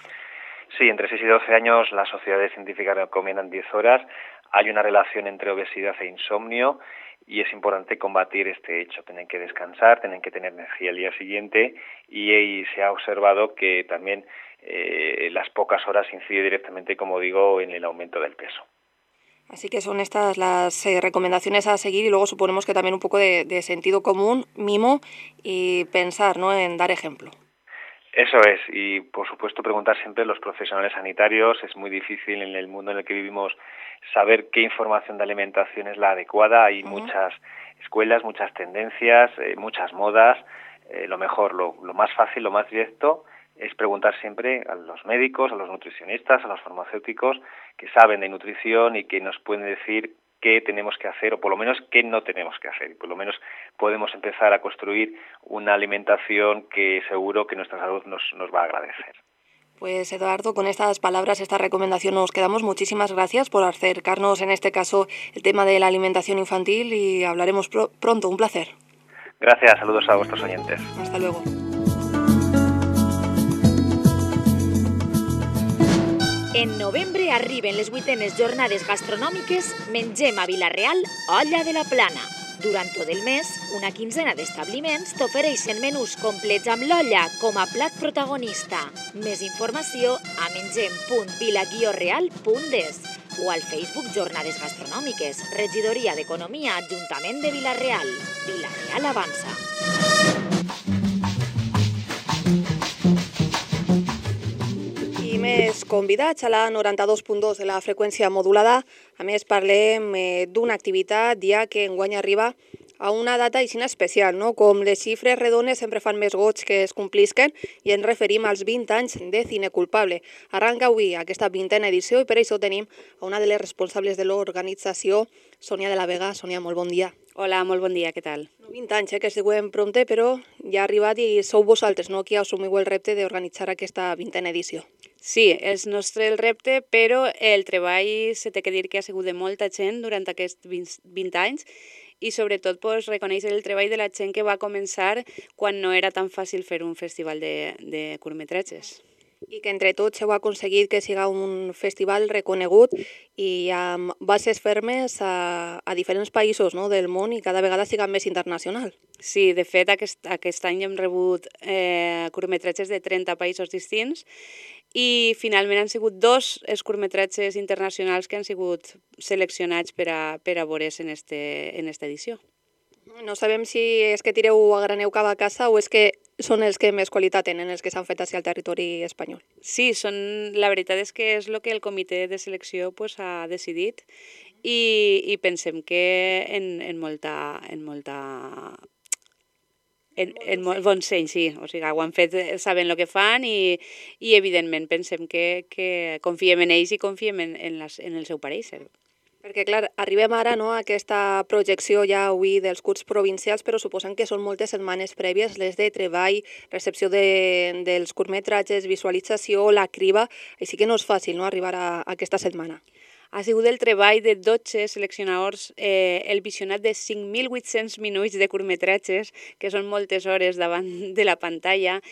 Sí, entre 6 y 12 años las sociedades científicas recomiendan 10 horas. Hay una relación entre obesidad e insomnio y es importante combatir este hecho. Tienen que descansar, tienen que tener energía el día siguiente y se ha observado que también las pocas horas incide directamente, como digo, en el aumento del peso. Así que son estas las recomendaciones a seguir y luego suponemos que también un poco de sentido común, mimo y pensar, ¿no?, en dar ejemplo. Eso es, y por supuesto preguntar siempre a los profesionales sanitarios. Es muy difícil en el mundo en el que vivimos saber qué información de alimentación es la adecuada. Hay muchas escuelas, muchas tendencias, muchas modas. Lo mejor, lo más fácil, lo más directo es preguntar siempre a los médicos, a los nutricionistas, a los farmacéuticos que saben de nutrición y que nos pueden decir qué tenemos que hacer o por lo menos qué no tenemos que hacer. Y por lo menos podemos empezar a construir una alimentación que seguro que nuestra salud nos va a agradecer. Pues Eduardo, con estas palabras, esta recomendación nos quedamos. Muchísimas gracias por acercarnos en este caso el tema de la alimentación infantil y hablaremos pronto. Un placer. Gracias, saludos a vuestros oyentes. Hasta luego. En novembre arriben les 8enes jornades gastronòmiques Mengem a Vila-real Olla de la Plana. Durant tot el mes, una quinzena d'establiments t'ofereixen menús complets amb l'olla com a plat protagonista. Més informació a mengem.vila-real.es o al Facebook Jornades Gastronòmiques, Regidoria d'Economia, Ajuntament de Vila-real. Vila-real avança. I més convidats a la 92.2 de la freqüència modulada. A més, parlem d'una activitat ja que enguany arriba a una data així especial, no? Com les xifres redones sempre fan més goig que es complisquen i ens referim als 20 anys de Cine Culpable. Arranca avui aquesta 20a edició i per això tenim a una de les responsables de l'organització, Sònia de la Vega. Sònia, molt bon dia. Hola, molt bon dia, què tal? 20 anys, que es diuen prompte, però ja ha arribat i sou vosaltres, no?, qui assumiu el repte d'organitzar aquesta 20a edició. Sí, és nostre el repte, però el treball se té que dir que ha sigut de molta gent durant aquests 20 anys i sobretot reconèixer el treball de la gent que va començar quan no era tan fàcil fer un festival de curtmetratges. I que entre tots heu aconseguit que siga un festival reconegut i amb bases fermes a diferents països, no?, del món i cada vegada siga més internacional. Sí, de fet aquest any hem rebut curtmetratges de 30 països distints i finalment han sigut 2 els curtmetratges internacionals que han sigut seleccionats per a veure's en esta edició. No sabem si és que tireu a graneu cada casa o és que són els que més qualitat tenen, els que s'han fet al territori espanyol. Sí, la veritat és que és el que el comitè de selecció ha decidit i pensem que en molt bon seny, sí. O sigui, ho han fet sabent el que fan i evidentment pensem que confiem en ells i confiem en el seu pareixer. Perquè, clar, arribem ara a aquesta projecció ja avui dels curts provincials, però suposem que són moltes setmanes prèvies, les de treball, recepció dels curtmetratges, visualització, la criba, així que no és fàcil arribar a aquesta setmana. Ha sigut el treball de 12 seleccionadors, el visionat de 5.800 minuts de curtmetratges, que són moltes hores davant de la pantalla.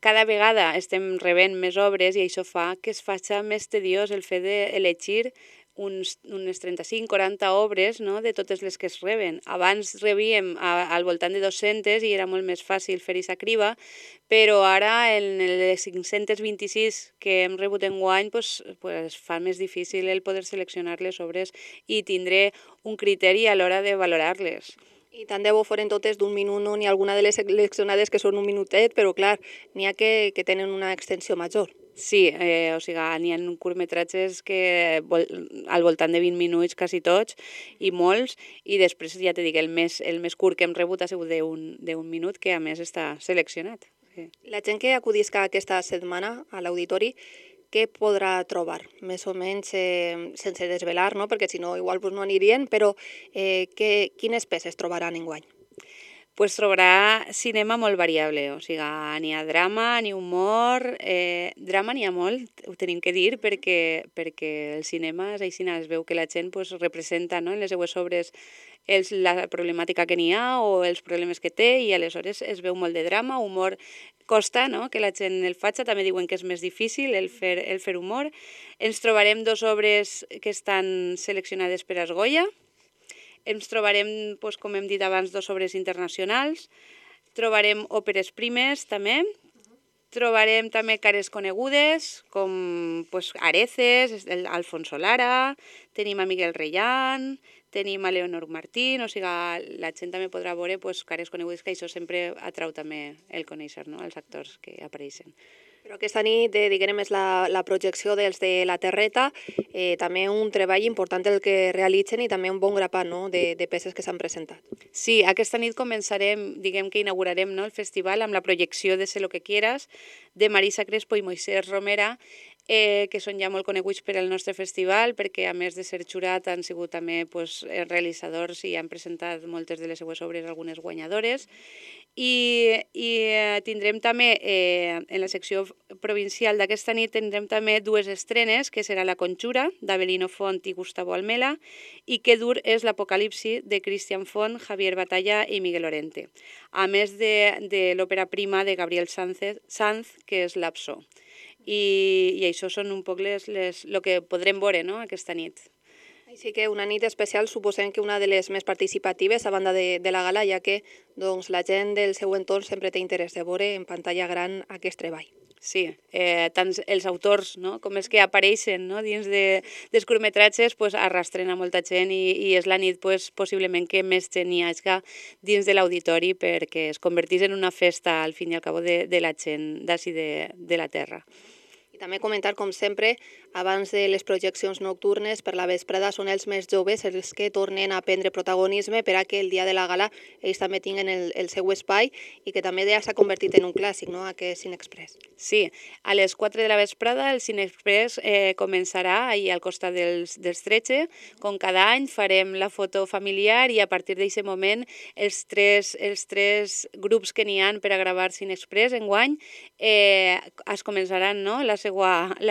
Cada vegada estem rebent més obres i això fa que es faci més tediós el fet d'elegir unes 35-40 obres de totes les que es reben. Abans rebíem al voltant de 200 i era molt més fàcil fer aquesta criba, però ara en les 526 que hem rebut enguany fa més difícil el poder seleccionar les obres i tindre un criteri a l'hora de valorar-les. I tant de bo foren totes d'un minut, no? N'hi ha alguna de les seleccionades que són un minutet, però clar, n'hi ha que tenen una extensió major. Sí, o sigui, n'hi ha curtmetratges que al voltant de 20 minuts quasi tots i molts, i després ja t'he dit, el més curt que hem rebut ha sigut d'un minut, que a més està seleccionat. Sí. La gent que acudisca aquesta setmana a l'auditori, què podrà trobar? Més o menys sense desvelar, no? Perquè si no igual no anirien, però quines peces trobaran enguany? Pues trobarà cinema molt variable, o sigui, n'hi ha drama, n'hi ha humor, drama n'hi ha molt, ho tenim que dir, perquè el cinema és així, es veu que la gent representa en les seues obres la problemàtica que n'hi ha o els problemes que té i aleshores es veu molt de drama, humor costa que la gent el faci, també diuen que és més difícil el fer humor. Ens trobarem 2 obres que estan seleccionades per als Goya. Ens trobarem, com hem dit abans, 2 obres internacionals, trobarem òperes primes també, trobarem també cares conegudes com Areces, Alfonso Lara, tenim a Miguel Reyán, tenim a Leonor Martín, o sigui, la gent també podrà veure cares conegudes, que això sempre atrau també el conèixer, els actors que apareixen. Però aquesta nit, diguem, és la projecció dels de la Terreta, també un treball important el que realitzen i també un bon grapat de peces que s'han presentat. Sí, aquesta nit començarem, diguem que inaugurarem el festival amb la projecció de Sé lo que quieras, de Marisa Crespo i Moisés Romera, que són ja molt coneguts per al nostre festival, perquè a més de ser jurat han sigut també realitzadors i han presentat moltes de les seues obres, algunes guanyadores. I tindrem també, en la secció provincial d'aquesta nit, tindrem també 2 estrenes, que serà La Conjura, d'Avelino Font i Gustavo Almela, i Que dur és l'Apocalipsi, de Cristian Font, Javier Batalla i Miguel Lorente, a més de l'òpera prima de Gabriel Sanz, que és Lapso. i això són un poc el que podrem veure, no?, aquesta nit. Així que una nit especial, suposem que una de les més participatives a banda de la gala, ja que doncs, la gent del seu entorn sempre té interès de veure en pantalla gran aquest treball. Sí, tant els autors, no?, com els que apareixen, no?, dins dels curtmetratges, pues, arrastren a molta gent i és la nit pues, possiblement que més gent hi hagi dins de l'auditori perquè es convertís en una festa al fin i al cabo de la gent d'ací de la terra. I també comentar, com sempre, abans de les projeccions nocturnes per la vesprada són els més joves els que tornen a prendre protagonisme per a que el dia de la gala ells també tinguin el seu espai i que també ja s'ha convertit en un clàssic, no?, aquest Cinexpress. Sí, a les 4 de la vesprada el Cinexpress començarà ahir al costat dels Tretxe. Com cada any farem la foto familiar i a partir d'aquest moment els tres grups que n'hi ha per a gravar Cinexpress enguany es començaran, no?, la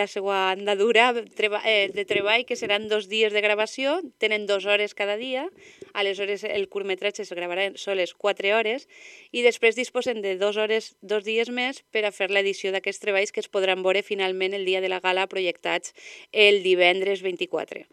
seva andadura de treball, que seran 2 dies de gravació, tenen 2 hores cada dia, aleshores el curtmetratge es gravarà soles 4 hores i després disposen de 2 dies més per a fer l'edició d'aquests treballs que es podran veure finalment el dia de la gala projectats el divendres 24.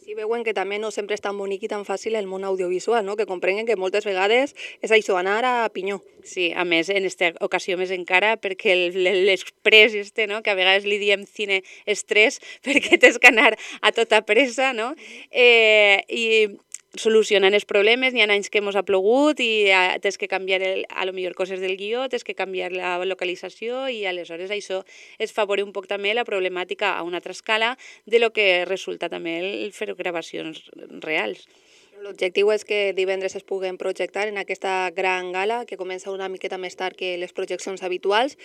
Sí, veuen que també no sempre és tan bonic i tan fàcil el món audiovisual, no?, que comprenguen que moltes vegades és això, anar a pinyó. Sí, a més, en aquesta ocasió més encara, perquè l'express no?, que a vegades li diem cine estrès, perquè tens que anar a tota pressa, no?, i solucionant els problemes. N'hi ha anys que ens ha plogut i tens que canviar a lo millor coses del guió, tens que canviar la localització i aleshores això es fa veure un poc també la problemàtica a una altra escala de lo que resulta també el fer gravacions reals. L'objectiu és que divendres es puguen projectar en aquesta gran gala que comença una miqueta més tard que les projeccions habituals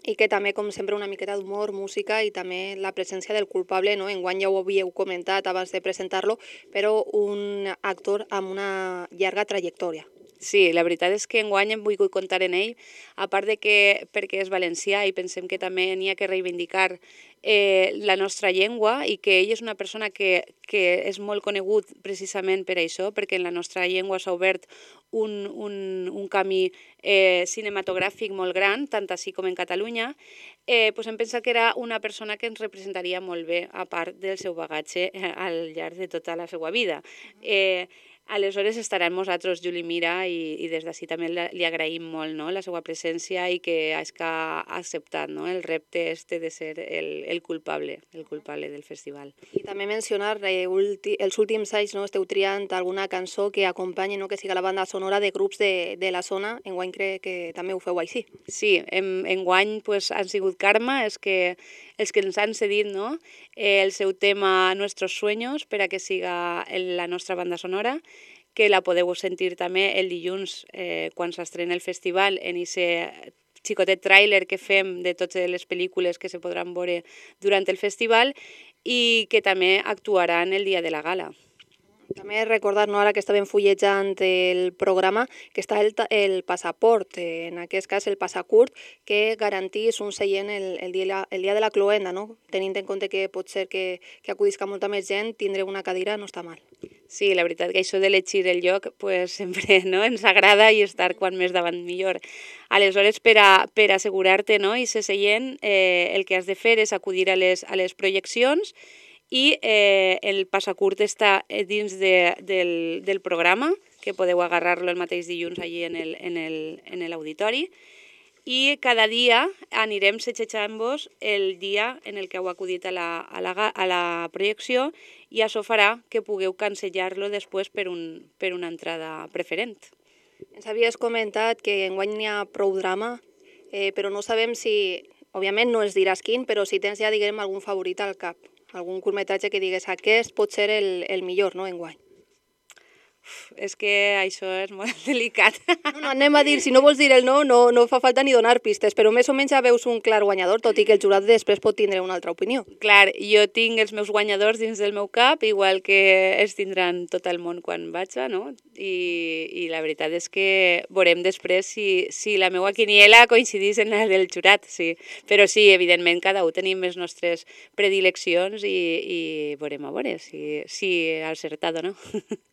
i que també, com sempre, una miqueta d'humor, música i també la presència del culpable, no? Enguany ja ho havíeu comentat abans de presentar-lo, però un actor amb una llarga trajectòria. Sí, la veritat és que enguany hem volgut comptar en ell, a part de que perquè és valencià i pensem que també n'hi ha que reivindicar la nostra llengua i que ell és una persona que és molt conegut precisament per això, perquè en la nostra llengua s'ha obert un camí cinematogràfic molt gran, tant així com en Catalunya, doncs hem pensat que era una persona que ens representaria molt bé, a part del seu bagatge al llarg de tota la seva vida. Aleshores estarà amb nosaltres Juli Mira i des d'ací també li agraïm molt, no?, la seva presència i que ha acceptat, no?, el repte de ser el culpable del festival. I també mencionar els últims anys, no?, esteu triant alguna cançó que acompanyi, no?, que siga la banda sonora de grups de la zona. Enguany crec que també ho feu així. Sí, enguany pues, han sigut Karma els que ens han cedit, no?, el seu tema Nuestros Sueños per a que siga la nostra banda sonora, que la podeu sentir també el dilluns quan s'estrena el festival en aquest xicotet tràiler que fem de totes les pel·lícules que se podran veure durant el festival i que també actuaran el dia de la gala. També recordar, no, ara que estàvem fullejant el programa, que està el passaport, en aquest cas el passacurt, que garantís un seient el dia de la cloenda, no? Tenint en compte que pot ser que acudisca molta més gent, tindre una cadira no està mal. Sí, la veritat que això d'elegir el lloc pues, sempre no, ens agrada i estar quan més davant millor. Aleshores, per assegurar-te, no, i ser seient, el que has de fer és acudir a les projeccions i el passacurt està dins del programa, que podeu agarrar-lo el mateix dilluns allí en l'auditori, i cada dia anirem setjant-vos el dia en el que heu acudit a la projecció i això farà que pugueu cancellar-lo després per una entrada preferent. Ens havies comentat que enguany n'hi ha prou drama, però no sabem si, òbviament no ens diràs quin, però si tens ja, diguem, algun favorit al cap. Algun curtmetratge que digues aquest pot ser el millor, no, enguany? És que això és molt delicat. No, anem a dir, si no vols dir el no fa falta ni donar pistes, però més o menys ja veus un clar guanyador, tot i que el jurat després pot tindre una altra opinió. Clar, jo tinc els meus guanyadors dins del meu cap, igual que els tindran tot el món quan vaig, no? I la veritat és que veurem després si la meva quiniela coincidís en la del jurat, sí. Però sí, evidentment, cada un tenim les nostres predileccions i veurem a veure si ha acertat o no.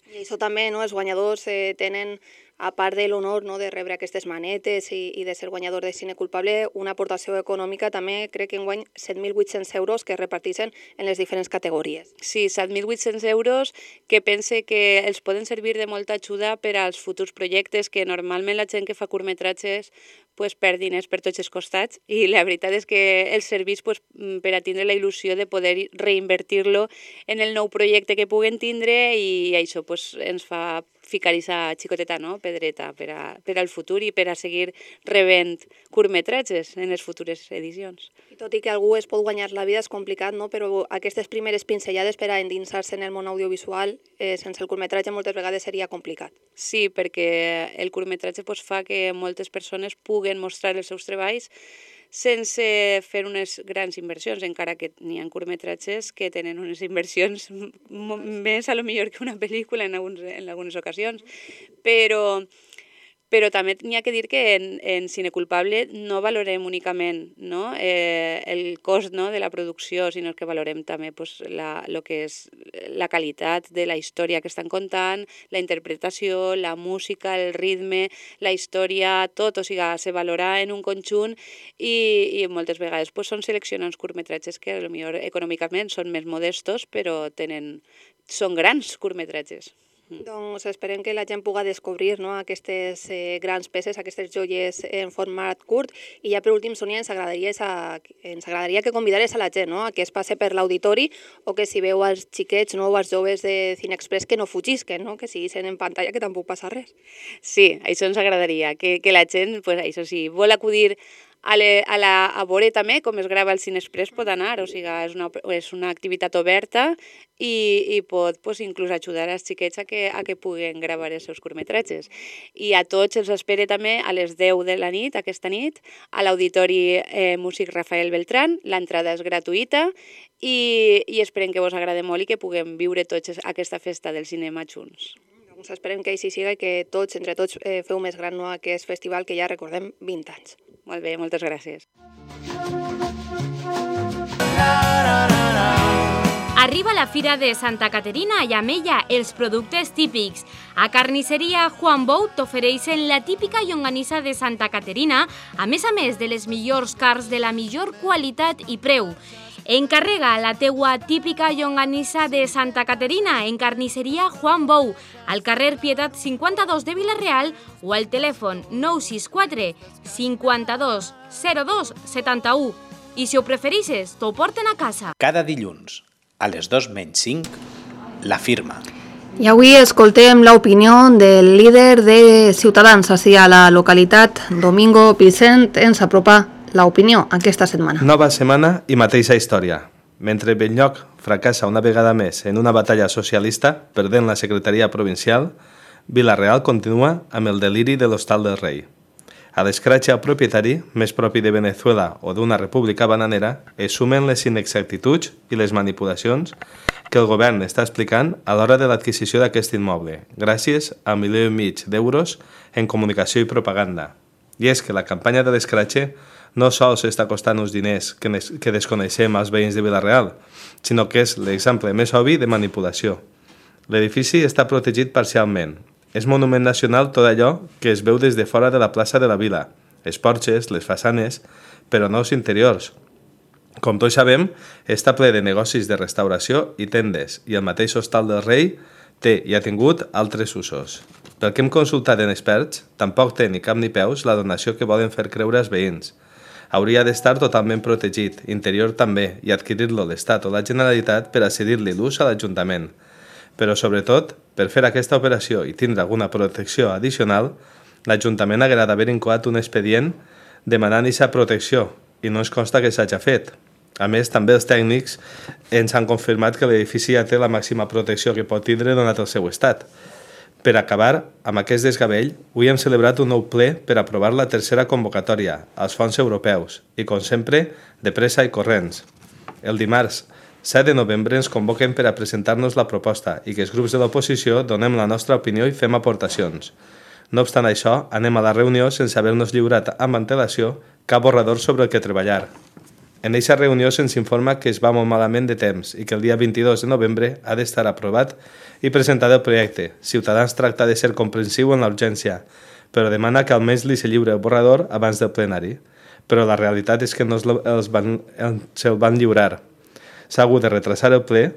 I això també, no? Els guanyadors tenen a part de l'honor de rebre aquestes manetes i de ser guanyador de cine culpable, una aportació econòmica també crec que enguany 7.800 euros que es reparteixen en les diferents categories. Sí, 7.800 euros que pense que els poden servir de molta ajuda per als futurs projectes, que normalment la gent que fa curtmetratges perd diners per tots els costats i la veritat és que els serveix per a tindre la il·lusió de poder reinvertir-lo en el nou projecte que puguen tindre i això ens fa ficar aquesta xicoteta pedreta per al futur i per a seguir rebent curtmetratges en les futures edicions. I tot i que algú es pot guanyar la vida és complicat, però aquestes primeres pinzellades per a endinsar-se en el món audiovisual sense el curtmetratge moltes vegades seria complicat. Sí, perquè el curtmetratge fa que moltes persones puguen mostrar els seus treballs sense fer unes grans inversions, encara que n'hi ha curtmetratges que tenen unes inversions més a lo millor que una pel·lícula en algunes ocasions, però també n'hi ha que dir que en Cine Culpable no valorem únicament el cost de la producció, sinó que valorem també el que és la qualitat de la història que estan contant, la interpretació, la música, el ritme, la història, tot, o sigui, se valora en un conjunt i moltes vegades són seleccionats curtmetratges que potser econòmicament són més modestos, però són grans curtmetratges. Doncs esperem que la gent pugui descobrir aquestes grans peces, aquestes joies en format curt. I ja per últim, Sònia, ens agradaria que convidares a la gent a que es passe per l'auditori o que si veu els xiquets o els joves de Cinexpress que no fugisquen, que siguin en pantalla, que tampoc passa res. Sí, això ens agradaria, que la gent, això sí, vol acudir a veure també com es grava el Cinexpress, pot anar, o sigui, és una activitat oberta i pot inclús ajudar els xiquets a que puguen gravar els seus curtmetratges. I a tots els espere també a les 10 de la nit, aquesta nit, a l'Auditori Músic Rafael Beltrán. L'entrada és gratuïta i esperem que vos agradi molt i que puguem viure tots aquesta festa del cinema junts. Doncs esperem que així siga i que tots, entre tots, feu més gran aquest festival que ja recordem 20 anys. Molt bé, moltes gràcies. Arriba la Fira de Santa Caterina i amb ella els productes típics. A Carnisseria Juan Bou t'ofereixen la típica llonganissa de Santa Caterina, a més de les millors carns de la millor qualitat i preu. Encarrega la teua típica llonganissa de Santa Caterina en Carnisseria Juan Bou, al carrer Pietat 52 de Vila-real o al telèfon 964 52 02 71. I si ho prefereixes, t'ho porten a casa. Cada dilluns, a les 2:05, La Firma. I avui escoltem l'opinió del líder de Ciutadans ací a la localitat, Domingo Vicent, ens apropa l'opinió aquesta setmana. Nova setmana i mateixa història. Mentre Benlloc fracassa una vegada més en una batalla socialista, perdent la secretaria provincial, Vila-real continua amb el deliri de l'Hostal del Rei. A l'escratx al propietari, més propi de Venezuela o d'una república bananera, es sumen les inexactituds i les manipulacions que el govern està explicant a l'hora de l'adquisició d'aquest immoble, gràcies a 1,5 milions d'euros en comunicació i propaganda. I és que la campanya de l'escratx no sols està costant uns diners que desconeixem als veïns de Vila-real, sinó que és l'exemple més obvi de manipulació. L'edifici està protegit parcialment. És monument nacional tot allò que es veu des de fora de la plaça de la vila, els porxes, les façanes, però no els interiors. Com tots sabem, està ple de negocis de restauració i tendes, i el mateix Hostal del Rei té i ha tingut altres usos. Pel que hem consultat en experts, tampoc té ni cap ni peus la donació que volen fer creure als veïns. Hauria d'estar totalment protegit, interior també, i adquirir-lo l'Estat o la Generalitat per a cedir-li l'ús a l'Ajuntament. Però, sobretot, per fer aquesta operació i tindre alguna protecció addicional, l'Ajuntament haguera d'haver incoat un expedient demanant aquesta protecció, i no ens consta que s'hagi fet. A més, també els tècnics ens han confirmat que l'edifici ja té la màxima protecció que pot tindre donat el seu estat. Per acabar amb aquest desgavell, avui hem celebrat un nou ple per aprovar la tercera convocatòria als fons europeus i, com sempre, de pressa i corrents. El dimarts 7 de novembre ens convoquen per a presentar-nos la proposta i que els grups de l'oposició donem la nostra opinió i fem aportacions. No obstant això, anem a la reunió sense haver-nos lliurat amb antelació cap borrador sobre el que treballar. En aquesta reunió se'ns informa que es va molt malament de temps i que el dia 22 de novembre ha d'estar aprovat i presentat el projecte. Ciutadans tracta de ser comprensiu en la urgència, però demana que almenys li se lliure el borrador abans del plenari. Però la realitat és que no se'l van lliurar. S'ha hagut de retrasar el ple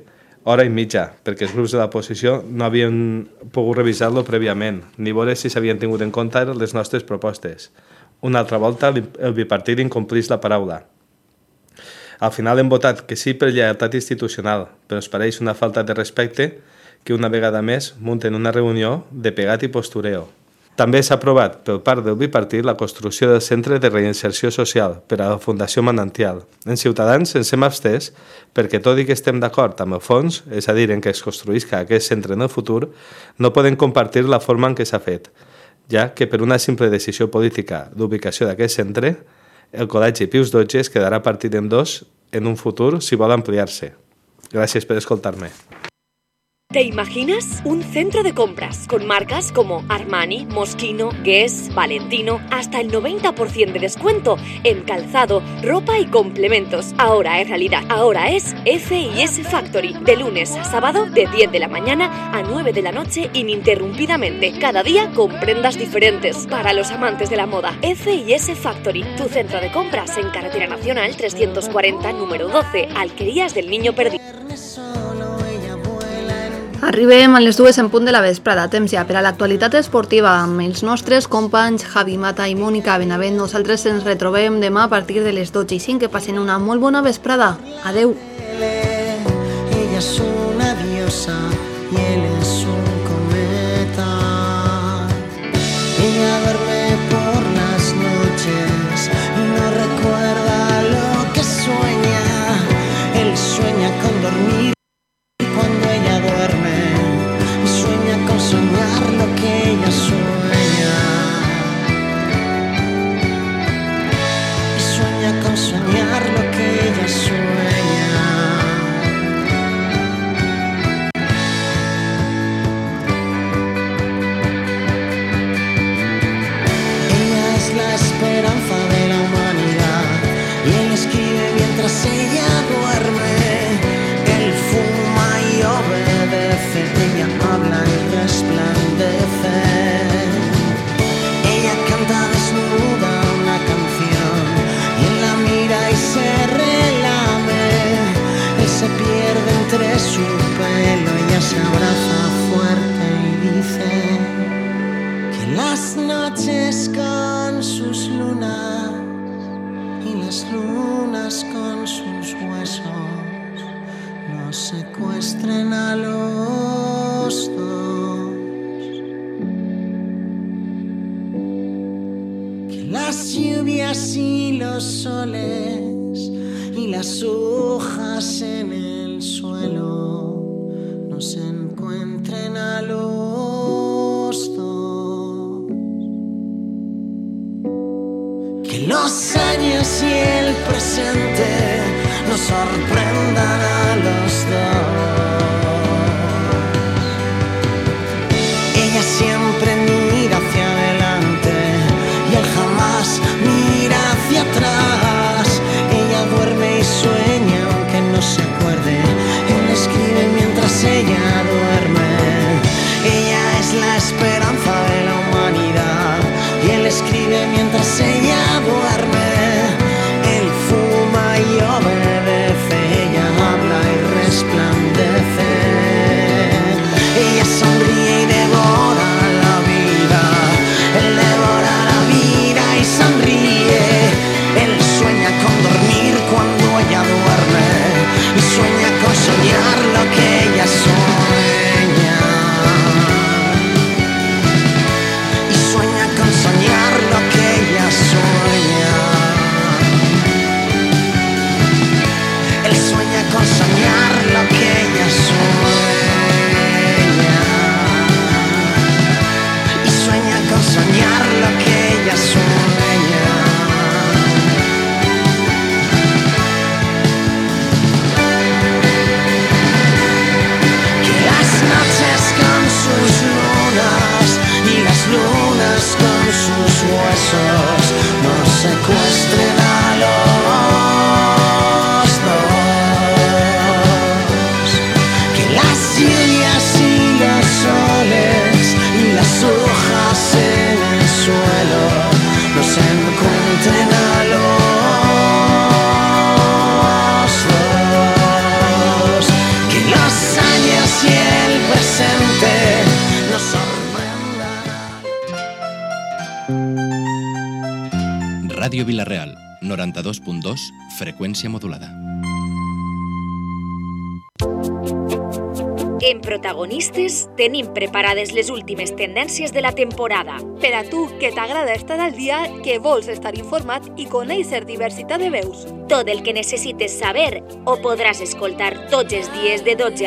hora i mitja, perquè els grups de l'oposició no havien pogut revisar-lo prèviament, ni veure si s'havien tingut en compte les nostres propostes. Una altra volta, el bipartit incomplís la paraula. Al final hem votat que sí per lleialtat institucional, però ens pareix una falta de respecte que una vegada més munten una reunió de pegat i postureo. També s'ha aprovat per part del bipartit la construcció del Centre de Reinserció Social per a la Fundació Manantial. En Ciutadans ens hem abstès perquè, tot i que estem d'acord amb el fons, és a dir, en què es construïsca aquest centre en el futur, no podem compartir la forma en què s'ha fet, ja que per una simple decisió política d'ubicació d'aquest centre, el Col·legi Pius XII es quedarà partit en dos en un futur si vol ampliar-se. Gràcies per escoltar-me. ¿Te imaginas? Un centro de compras con marcas como Armani, Moschino, Guess, Valentino, hasta el 90% de descuento en calzado, ropa y complementos. Ahora es realidad. Ahora es F&S Factory. De lunes a sábado, de 10 de la mañana a 9 de la noche, ininterrumpidamente. Cada día con prendas diferentes. Para los amantes de la moda, F&S Factory. Tu centro de compras en Carretera Nacional 340, número 12, Alquerías del Niño Perdido. Arribem a les 2 en punt de la vesprada, temps ja per a l'actualitat esportiva amb els nostres companys Javi Mata i Mònica Benavent. Nosaltres ens retrobem demà a partir de les 12:05. Que passen una molt bona vesprada. Adeu. Ella es una diosa y él es un cometa. Ella duerme por las noches y no recuerda lo que sueña. Él sueña con dormir. Cuando ella duerme, sueña con soñar lo que ella sueña. Y sueña con soñar lo que ella sueña. Ella es la esperanza de la humanidad y él escribe mientras ella duerme. Él fuma y obedece, ella habla y resplandece. Ella canta desnuda una canción y él la mira y se relame. Él se pierde entre su pelo, ella se abraza fuerte y dice que las noches con sus lunas y las lunas con sus huesos nos secuestren a los dos. Que las lluvias y los soles y las hojas en el suelo nos encuentren a los dos. Que los años y el presente nos sorprendan a los dos. Ella siempre mira hacia adelante y él jamás mira hacia atrás. Ella duerme y sueña aunque no se acuerde. Él escribe mientras ella duerme. Ella es la esperanza de la humanidad y él escribe mientras ella duerme. Él fuma y obedece, ella habla Ràdio Vila-real, 92.2, freqüència modulada. En Protagonistes tenim preparades les últimes tendències de la temporada. Per a tu, que t'agrada estar al dia, que vols estar informat i conèixer diversitat de veus. Tot el que necessites saber ho podràs escoltar tots els dies de 12 a